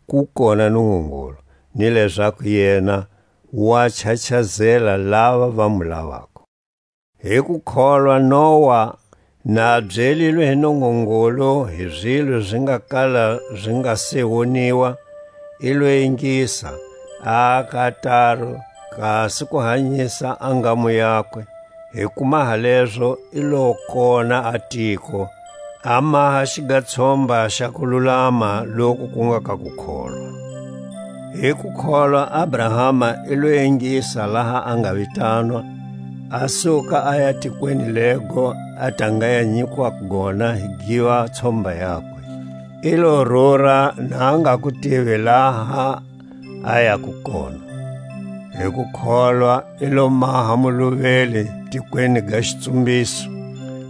ku kona Nungungulu, ni lezaku yena wa chachazela lava va mu lavako. Hi kukholwa Noa, na a byelilwe hi Nungungulu hi zilo zi nga kala zi nga se woniwa, i lo ingisa, a aka taru, kasi ku hanyisa a ngamu yakwe. Hi ku maha lezo i lo kona a tiko, a maha xigatshomba xa kululama loku ku nga ka kukholwa. Hi kukholwa Abrahama i lo ingisa laha a nga vitanwa, a suka a ya tikweni lego a ta nga ya nyikiwa gona hi giva tshomba yakwe. I lo rura na a nga ku tivi laha a yako kona. Hi ku kholwa i lo maha muluveli tikweni ga xitsumbiso,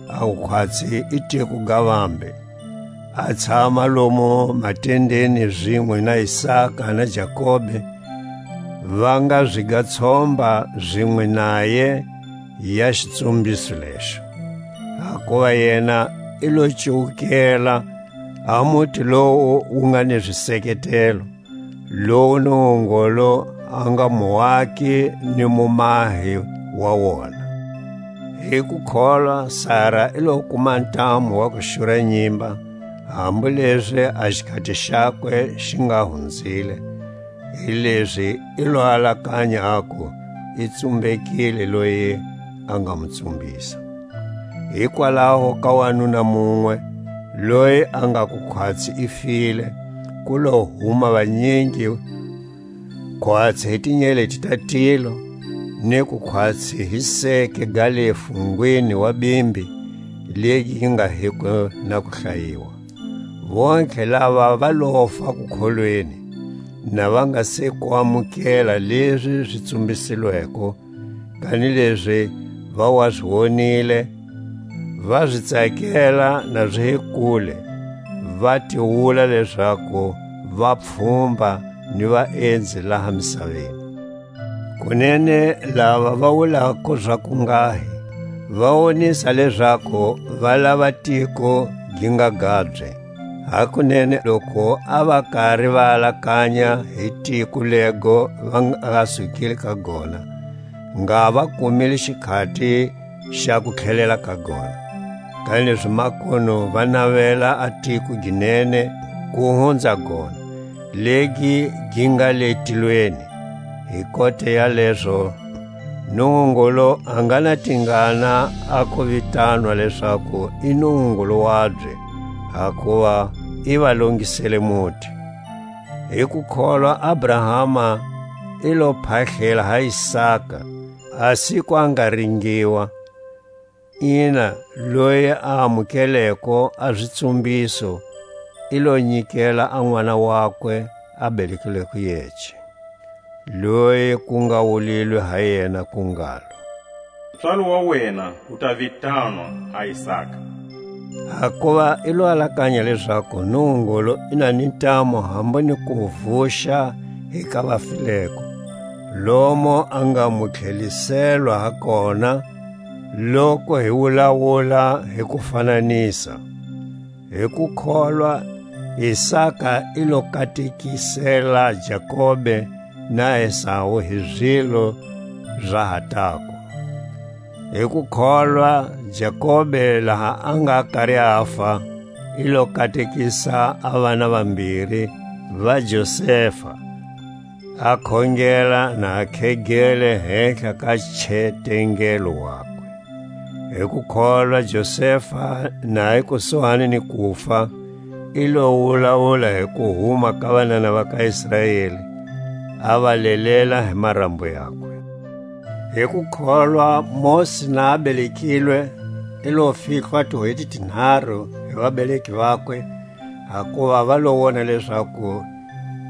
a wukhwatsi i tiko ga vambe. A tshama lomo matendeni zinwe na Isaka na Jakobe, va nga zwi ga tshomba zinwe naye ya xitsumbiso lexo. Hakuva yena i lo cuwukela a muti lowu wu nga ni ziseketelo, lowu Nungungulu a nga muwaki ni mumahi wa wona. Hi ku kholwa, Sara i lo kuma ntamu wa ku xura nyimba, hambu lezi a xikhati xakwe xi nga hunzile, hilezi i lo alakanya aku i tsumbekile loyi a nga mu tsumbisa. Hikwalaho ka wanuna munwe, loyi a nga ku khwatsi i file, ku lo huma vanyingi, khwatsi hi tinyeleti ta tilo, ni ku khwatsi hi seke ga le fungwini wa bimbi, legi gi nga hiko na ku hlayiwa. Vontlhe lava va lofa ku kholweni, na va nga se ku amukela lezi zi tsumbisilweko, kanilezi va wa zi wonile, va zi tsakela na zi hi kule, va tiwula lezaku va pfhumba ni vaenzi laha misaveni. Kunene lava va wulako zaku nghahi, va wonisa lezaku va lava tiko gi nga gabye. Hakunene loku a va kari va alakanya hi tiko lego va nga sukile ka gona, ngha va kumile xikhati xa ku tlhelela ka gona. Kanilezi makunu va navela a tiko gi nene ku hunza gona, legi gi nga le tilweni. Hi kota ya lezo, Nungungulu a nga na tingana a ku vitanwa lezaku i Nungungulu wabye, hakuva i va longisele muti. Hi ku kholwa Abrahama i lo phahlela ha Isaka, a siku a nga ringiwa, ina, loyi a amukeleko a zitsumbiso, i lo nyikela a n'wana wakwe a belekilweko yece, loyi ku nga wulilwe ha yena ku ngalo: Ntswalo wa wena u ta vitanwa a Isaka. Hakuva i lo alakanya lezaku Nungungulu i na ni ntamu hambu ni ku vuxa hi ka vafileko, lomo a nga mu tlheliselwa ha kona, loku hi wulawula hi kufananisa. Hi kukholwa, Isaka i lo katekisela Jakobe na Esau hi zilo za ha tako. Hi kukholwa, Jakobe, laha a nga kari afa, i lo katekisa a vana vambiri va Josefa, a khongela na a khegele hehla ka chetengelo wakwe. Hi kukholwa, Josefa, na hi kusuhani ni kufa, i lo wulawula hi kuhuma ka vanana va ka Israeli, a va lelela hi marambo yakwe. Hi kukholwa, Mosi na a belekilwe, i lo fihlwa tihweti tinharu hi vabeleki vakwe, hakuva va lo wona lezaku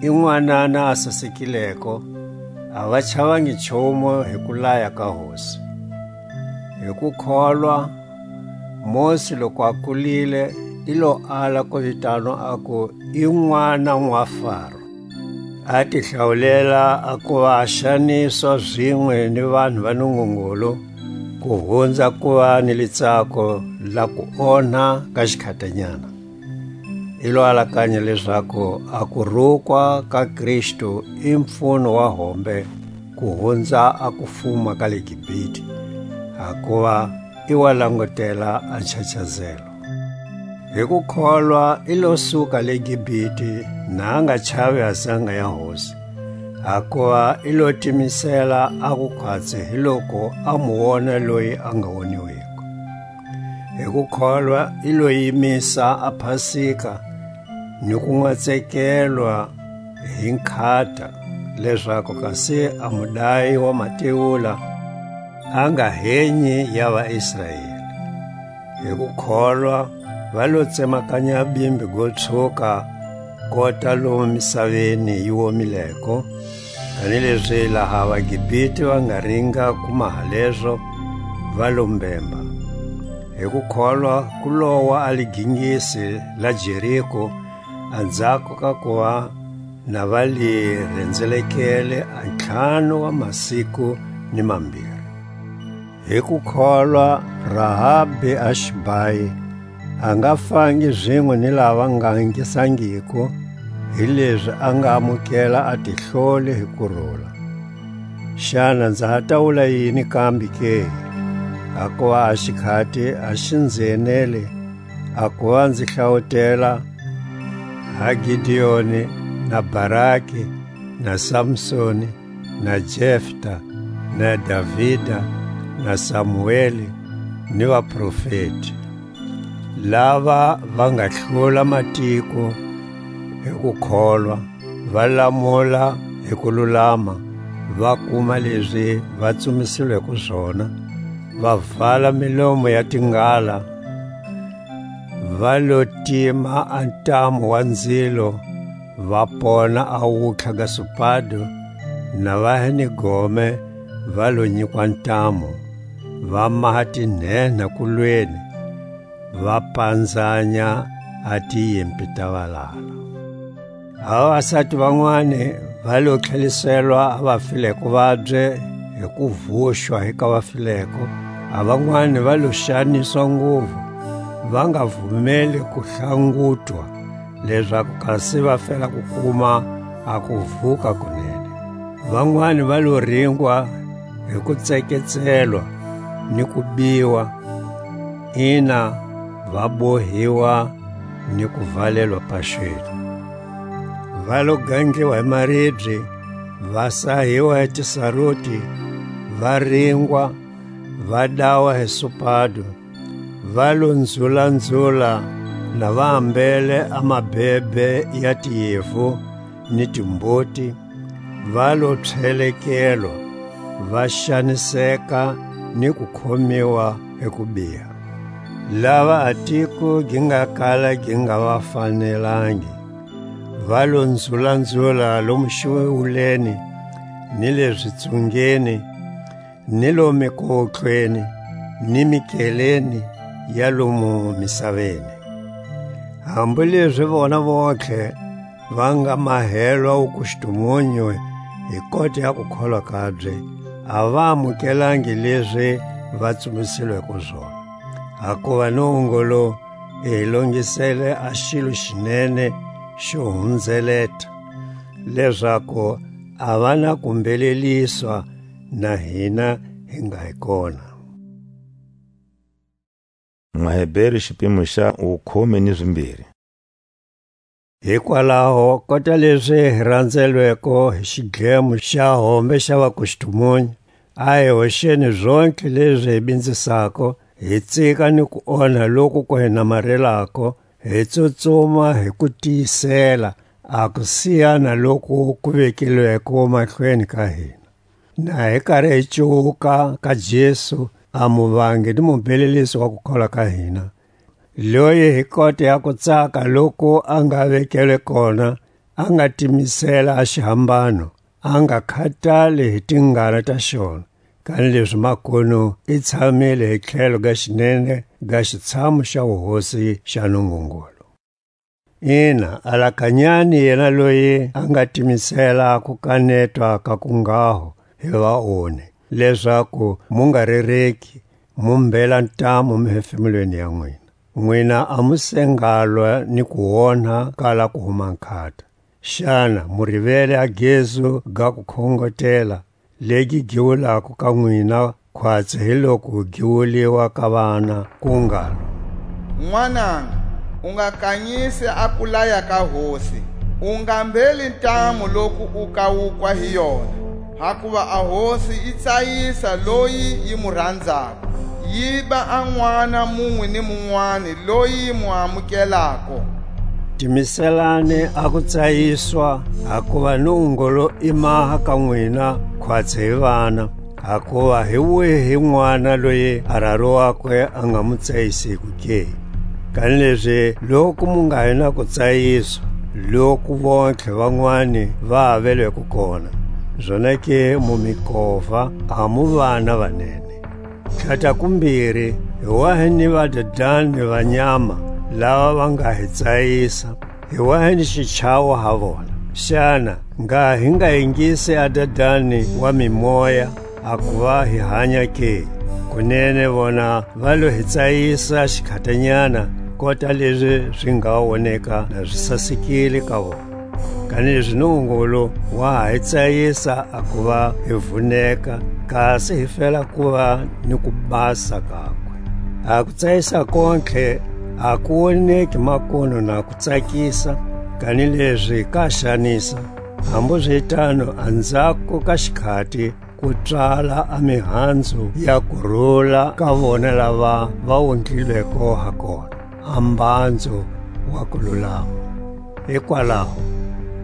i n'wanana a sasekileko, a va chavangi nchumu hi kulaya ka Hosi. Hi kukholwa, Mosi loku a kulile, i lo ala ku vitanwa aku i n'wana n'wa Faro. A ti hlawulela a kuva a xaniswa zinwe ni vanhu va Nungungulu, ku hunza kuva ni litsako la kuonha ka xikhatanyana. I lo alakanya lezaku a kurukwa ka Kristu i mpfuno wa hombe ku hunza a kufuma ka le Gibhite, hakuva i wa langutela a nchachazelo. Hi kukholwa i lo suka le Gibhite, na a nga chavi a zanga ya Hosi, hakuva i lo timisela a kukhwatsi hiloko a mu wona loyi a nga woniwiko. Hi kukholwa i lo yimisa a Pasika ni kunwatsekelwa hi nkhata, lezaku kasi a mudayi wa matiwula a nga henyi ya vaIsraeli. Hi kukholwa va lo tsemakanya bimbi go tshuka kota lomu misaveni yi womileko, Kanilezi laha vaGibite va nga ringa ku maha lezo, va lo mbemba. Hi ku kholwa ku lowa a ligingisi la Jeriko, anzhako ka kuva na va li rhendzelekele a ntlhanu wa masiku ni mambiri. Hi ku kholwa, Rahabi a Xibayi a nga fangi zinwe ni lava nga ingisangiko, hilezi a nga amukela a tihloli hi kurula. Xana nza ha ta wula yini kambe ke? Hakuva a xikhati a xi nzi enele, a kuva nzi hlawutela ha Gideoni, na Baraki, na Samsoni, na Jefta, na Davida, na Samuele, ni vaprofeti, lava va nga hlula matiko hi ku kholwa, va lamula hi ku lulama, va kuma lezi va tsumisilweko zona, va vala milomo ya tingala, va lo tima a ntamu wa nzilo, va pona a wutlha ga supado, na va hi ni gome, va lo nyikwa ntamu, va maha tinhenha kulweni, va panzanya a tiyimpi ta valala. A vavasati vanwani va lo tlheliselwa a vafileko vabye hi ku vuxwa hi ka vafileko, a vanwani va lo xaniswa nguvu, va nga vumeli ku hlangutwa, lezaku kasi va fela ku kuma a kuvuka kunene. Vanwani va lo ringwa hi ku tseketselwa ni ku biwa, ina, va bohiwa ni ku valelwa paxweni. Va lo gandliwa hi maribye, va sahiwa hi tisaruti, va ringwa, va dawa hi supado, va lo nzula-nzula na va ambele a mabebe ya tiyevu ni timboti, va lo tlhelekelwa, va xaniseka ni ku khomiwa hi kubiha. Lava a tiko gi nga kala gi nga va fanelangi, va lo nzula-nzula lomu xiwuleni, ni le zitsungeni, ni lomu mikotlweni, ni mikeleni ya lomu misaveni. Hambu lezi vona vontlhe va nga mahelwa wukustumunyu hi kota ya kukholwa kabye, a va amukelangi lezi va tsumisilweko zona. Hakuva Nungungulu i hi longisele a xilo xi nene xo hunzeleta, lezaku a va na ku mbheleliswa na hina hi nga hi kona. Maheberu, xipimo xa wukhume ni zimbiri. Hikwalaho, kota lezi hi ranzelweko hi xidlemo xa hombe xa vakustumunyu, a hi hoxeni zontlhe lezi hi binzisako, hi tsika ni ku onha loku ku hi namarelako, hi tsutsuma hi ku tiyisela a ku siya na loku ku vekilweko mahlweni ka hina. Na hi kari hi cuwuka ka Jesu, a muvangi ni mubhelelisi wa kukholwa ka hina, loyi hi kota ya kutsaka loku a nga vekelwe kona, a nga timisela a xihambano, a nga khatali hi tingana ta xona, kanilezi makunu i tshamile hi tlhelo ga xinene ga xitshamu xa wuhosi xa Nungungulu. Ina, alakanyani yena loyi a nga timisela ku kanetwa ka ku ngaho hi vaonhi, lezaku mu nga rereki, mu mbhela ntamu mihefemulweni ya nwina. Nwina a mu se ngalwa ni ku onha kala ku huma nkhata. Xana mu rivele a gezu ga ku khongotela, legi gi wulako ka nwina, khwatsi hi loku gi wuliwa ka vana, ku ngalo: N'wananga, u nga kanyisi a kulaya ka Hosi, u nga mbheli ntamu loku u kawukwa hi yona, hakuva a Hosi yi tsayisa loyi yi mu ranzako, yi ba a n'wana munwe ni munwani loyi yi mu amukelako. Timiselani a ku tsayiswa, hakuva Nungungulu i maha ka nwina, khwatsi hi vana. Hakuva hi wihi n'wana loyi a raro wakwe a nga mu tsayisiko ke? Kanilezi loku mu nga hi na ku tsayiswa, loku vontlhe vanwani va avelweko kona, Zonake mu mi kova, a mu vana vanene. Tlhata kumbiri, hi wa hi ni vadadani va nyama, lava va nga hi tsayisa, hi wa hi ni xichavo ha vona. Xana ngha hi nga ingisi a Dadani wa mimoya, a kuva hi hanya ke? Kunene vona va lo hi tsayisa xikhatanyana, kota lezi zi nga woneka na zi sasekile ka vona. Kanilezi Nungungulu wa ha hi tsayisa a kuva hi vuneka, kasi hi fela kuva ni kubasa kakwe. A kutsayisa kontlhe a ku woneki makunu na kutsakisa, kanilezi ka xanisa. Hambuzitano anzhako ka xikhati ku tswala a mihanzu ya kurula ka vona lava va wundlilweko ha kona, a mbandzo wa kululama. Hikwalaho,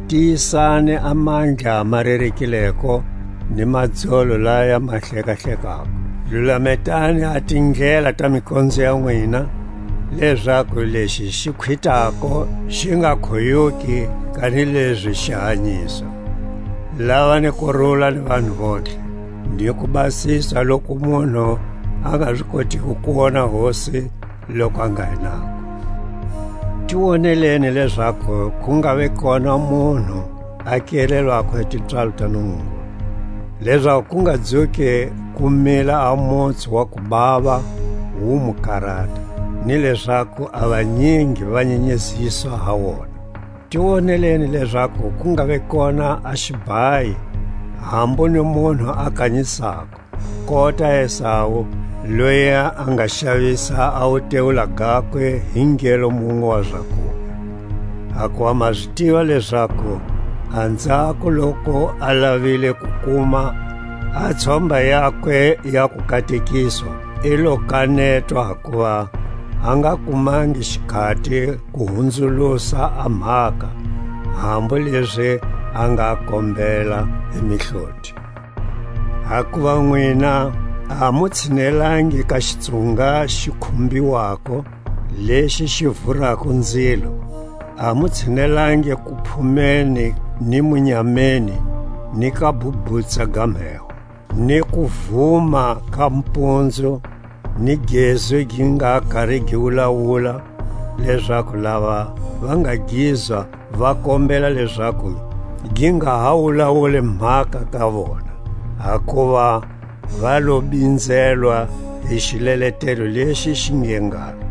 tiyisani a mandla ma rerekileko ni madzolo laya ma hlekahlekako. Lulametani a tindlela ta mikonzo ya nwina, lezaku lexi xi khwitako xi nga khoyuki, kanilezi xi hanyisa. Lava ni kurula ni vanhu vontlhe, ni ku basisa loku munhu a nga zi kotiko ku wona Hosi loku a nga hi nako. Ti woneleni lezaku ku nga ve kona munhu a kelelwako hi tipswalo ta Nungungulu, lezaku ku nga dzuki ku mila a mutsu wa kubava wu mu karata, ni lezaku a vanyingi va nyenyeziswa ha wona. Ti woneleni lezaku ku nga ve kona a xibayi, hambu ni munhu a kanyisako, kota Esau, loyi a nga xavisa a wutewula gakwe hi ngelo munwe wa zakuwe. Hakuva ma zi tiva lezaku anzhako loku a lavile ku kuma a tshomba yakwe ya kukatekiswa, i lo kanetwa, hakuva a nga kumangi xikhati ku hunzulusa a mhaka, hambu lezi a nga kombela hi mihloti. Hakuva nwina a mu tshinelangi ka xitsunga xi khumbiwako, lexi xi vurako nzilo, a mu tshinelangi ku phumeni ni munyameni, ni ka bubutsa ga mheho, ni ku vuma ka mpunzu, ni gezu gi nga kari gi wulawula, lezaku lava va nga gizwa va kombela lezaku gi nga ha wulawuli mhaka ka vona, hakuva va lo binzelwa hi xileletelo lexi xi nge ngalo: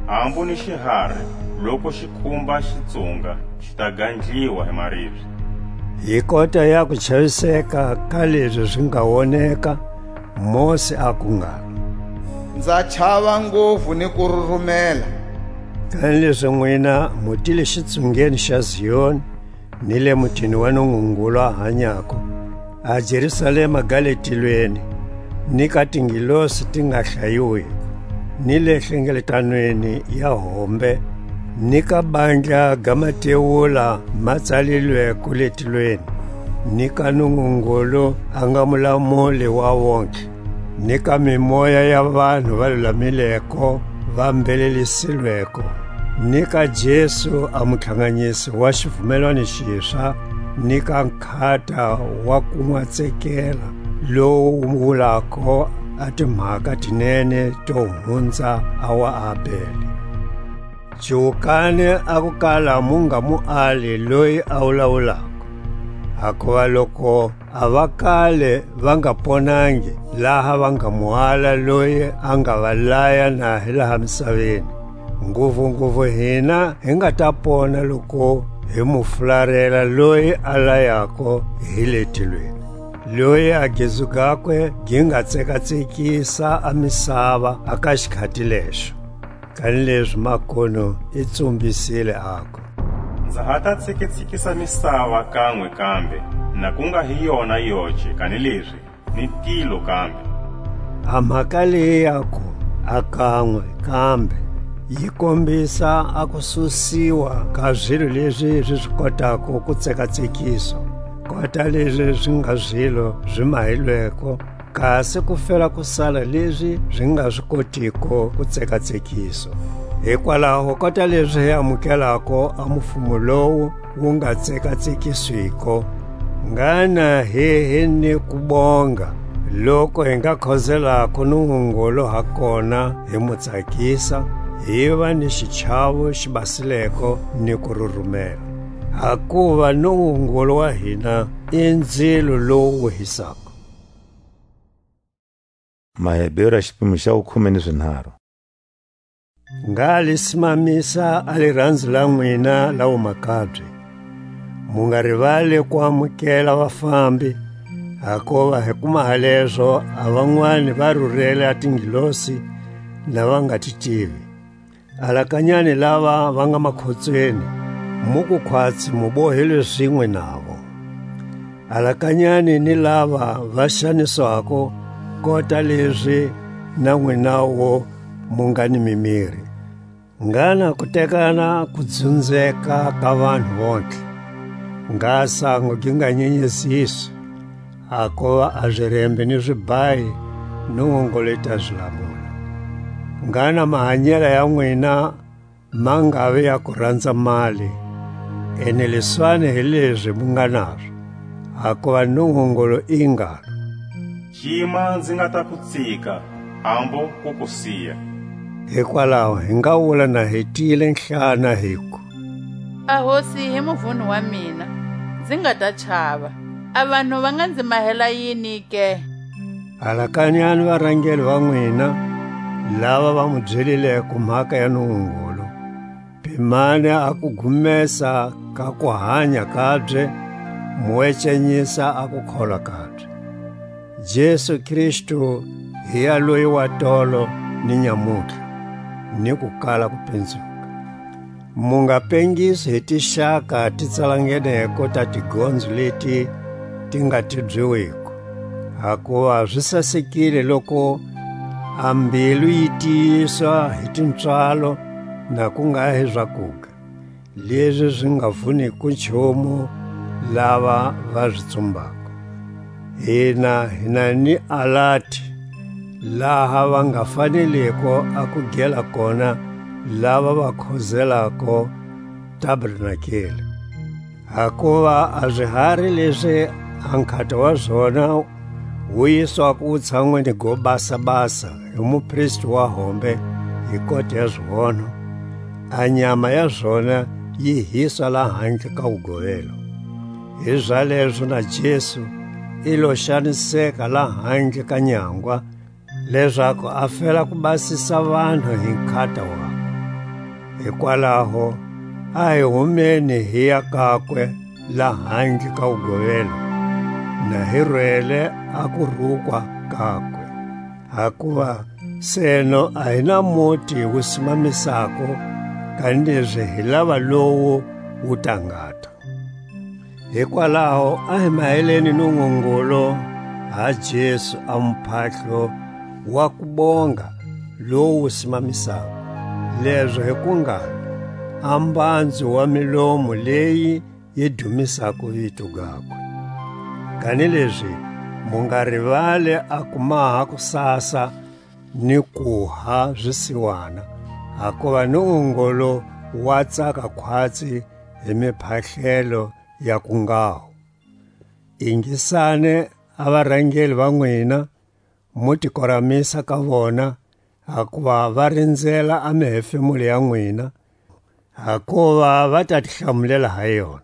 Hambu ni xihari, loku xi khumba xitsunga, xi ta gandliwa hi maribye. Hi kota ya kuchaviseka ka lezi zi nga woneka, Mosi aku ngalo: Nza chava nguvu ni kururumela. Kanilezi nwina mu tile xitsungeni xa Zioni, ni le mutini wa Nungungulu a hanyako, a Jerusalema ga le tilweni, ni ka tingilosi ti nga hlayiwiko, ni le hlengeletanweni ya hombe, ni ka bandla ga matewula ma tsalilweko le tilweni, ni ka Nungungulu a nga mulamuli wa wontlhe, ni ka mimoya ya vanhu va lulamileko va mbhelelisilweko, ni ka Jesu a mutlhanganyisi wa xivumelwani xiswa, ni ka nkhata wa kunwatsekela, lowu wulako a timhaka tinene to hunza a wa Abele. Cuwukani a ku kala mu nga mu ali loyi a wulawulako, hakuva loku a va kale va nga ponangi, laha va nga mu ala loyi a nga va laya na hi laha misaveni, nguvunguvu hina hi nga ta pona loku hi mu fularela loyi a layako hi le tilweni, loyi a gezu gakwe gi nga tsekatsekisa a misava a ka xikhati lexo. Kanilezi makunu i tsumbisile, aku: Nza ha ta tsikitsikisa misava kanwe kambe, na ku nga hi yona yoce, kanilezi ni tilo kambe. A mhaka leyi ya ku: A kanwe kambe, yi kombisa a kususiwa ka zilo lezi zi zi kotako ku tsekatsekiswa, kota lezi zi nga zilo zi mahilweko, kasi ku fela ku sala lezi zi nga zi kotiko ku tsekatsekiswa. Hikwalaho kota lezi hi amukelako a mufumo lowu wu nga tsekatsekiswiko, Ngana hi hi ni kubonga, loku hi nga khozelako Nungungulu ha kona, hi mu tsakisa, hi va ni xichavo xi basileko ni ku rurumela. Hakuva Nungungulu wa hina i ndzilo lowu wuhisako. Maheberu a xipimo xa wukhume ni swinharu. Ngha li simamisa a liranzo la nwina la wumakabye. Mu nga rivali ku amukela vafambi, hakuva hi kuma halezo a vanwani va rurele a tingilosi na va nga ti tivi. Alakanyani lava va nga makhotsweni, mu ku khwatsi mu bohelwe zinwe navo. Alakanyani ni lava va xaniswako, kota lezi na nwinawu mu nga ni mimiri. Ngana ku tekana ku dzunzeka ka vanhu vontlhe. Ngha sango gi nga nyenyeziswi, hakuva a zirembe ni zibhayi Nungungulu i ta zi lamula. Ngana mahanyela ya nwina ma ngavi ya ku ranza mali, eneliswani hi lezi mu nga nazo, hakuva Nungungulu i ngalo: Cima nzi nga ta ku tsika, hambu ku ku siya. Hikwalaho hi nga wula na hi tiyile nhlana, hiku: A Hosi hi muvuni wa mina, nzi nga ta chava. A vanhu va nga nzi mahela yini ke? Alakanyani varangeli va nwina, lava va mu byelileko mhaka ya Nungungulu. Pimani a kugumesa ka kuhanya kabye, mu wecanyisa a kukholwa kabye. Jesu Kristu hi ya loyi wa tolo ni nyamutlha, ni ku kala ku pinzuka. Mu nga pengisi hi tixaka ti tsalangeneko ta tigonzo leti ti nga tibyiwiko, hakuva zi sasekile loku a mbilu yi tiyiswa hi tipswalo, na ku nga hi zakuga, lezi zi nga vuniko nchumu lava va zi tsumbako. Hina hi na ni alati, laha va nga faneleko a ku gela kona lava va khozelako tabernakele. Hakuva a zihari lezi a nkhata wa zona wu yiswako wutshanwini go basa-basa hi mupristi wa hombe hi kota ya zionho, a nyama ya zona yi hiswa lahandle ka wugovelo. Hizalezo na Jesu i lo xaniseka lahandle ka nyangwa, lezaku a fela ku basisa vanhu hi nkhata wakwe. Hikwalaho, a hi humeni hi ya kakwe lahandle ka wugovelo, na hi rwele a kurukwa kakwe. Hakuva seno a hi na muti wu simamisako, kanilezi hi lava lowu wu ta ngata. Hikwalaho a hi maheleni Nungungulu ha Jesu a muphahlo wa kubonga lowu wu simamisako, lezo hi ku ngalo, a mbanzu wa milomu leyi yi dumisako vito gakwe. Kanilezi mu nga rivali a ku maha kusasa ni kuha zisiwana, hakuva Nungungulu wa tsaka khwatsi hi miphahlelo ya ku ngalo. Ingisani a varangeli va nwina, mu ti koramisa ka vona, hakuva va rinzela a mihefemulo ya nwina, hakuva va ta ti hlamulela ha yona.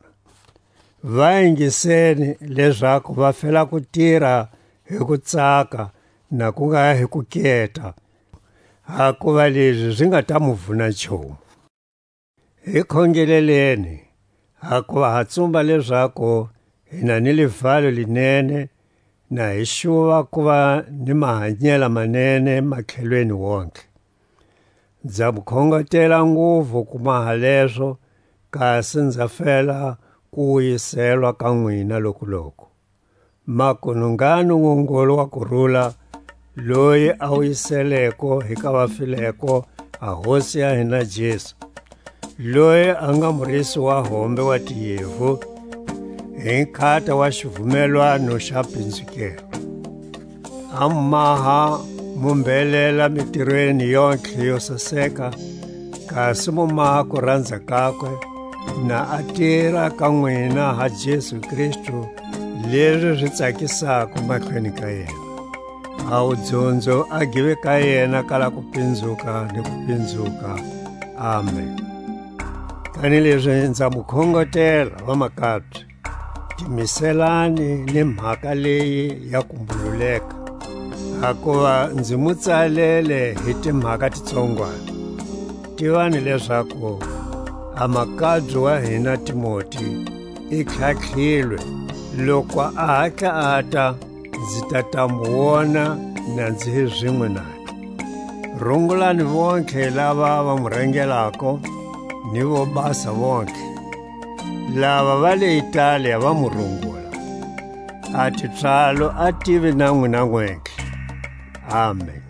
Va ingiseni, lezaku va fela ku tira hi ku tsaka, na ku nga hi ku keta, hakuva lezi zi nga ta mu vuna nchumu. Hi khongeleleni, hakuva ha tsumba lezaku hi na ni livalo linene, na hi xuva ku va ni mahanyela manene matlhelweni wontlhe. Nza mu khongetela nguvu ku maha lezo, kasi nza fela ku wiyiselwa ka nwina lokuloku. Makunu ngha Nungungulu wa kurula, loyi a wiyiseleko hi ka vafileko a Hosi ya hina Jesu, loyi a nga murisi wa hombe wa tiyevu, hi nkhata wa xivumelwano xa pinzukelo. A mu maha mu mbelela mitirweni yontlhe yo saseka, kasi mu maha ku ranza kakwe, na a tira ka nwina ha Jesu Kristu, lezi zi tsakisako mahlweni ka yena. A wudzunzo a give ka yena kala ku pinzuka ni ku pinzuka. Amen. Kanilezi nza mu khongotela, vamakabye, timiselani ni mhaka leyi ya kumbululeka, hakuva nzi mu tsalele hi timhaka titsongwana. Tivani lezaku a makabye wa hina Timoti i tlhatlhilwe. Loku a hatla ata, nzi ta ta mu wona na nzi hi zinwe naye. Rungulani vontlhe lava va mu rangelako, ni vo basa vontlhe. Lava va le Italia va mu rungula. A tipswalo a tive na nwina nwentlhe. Amen.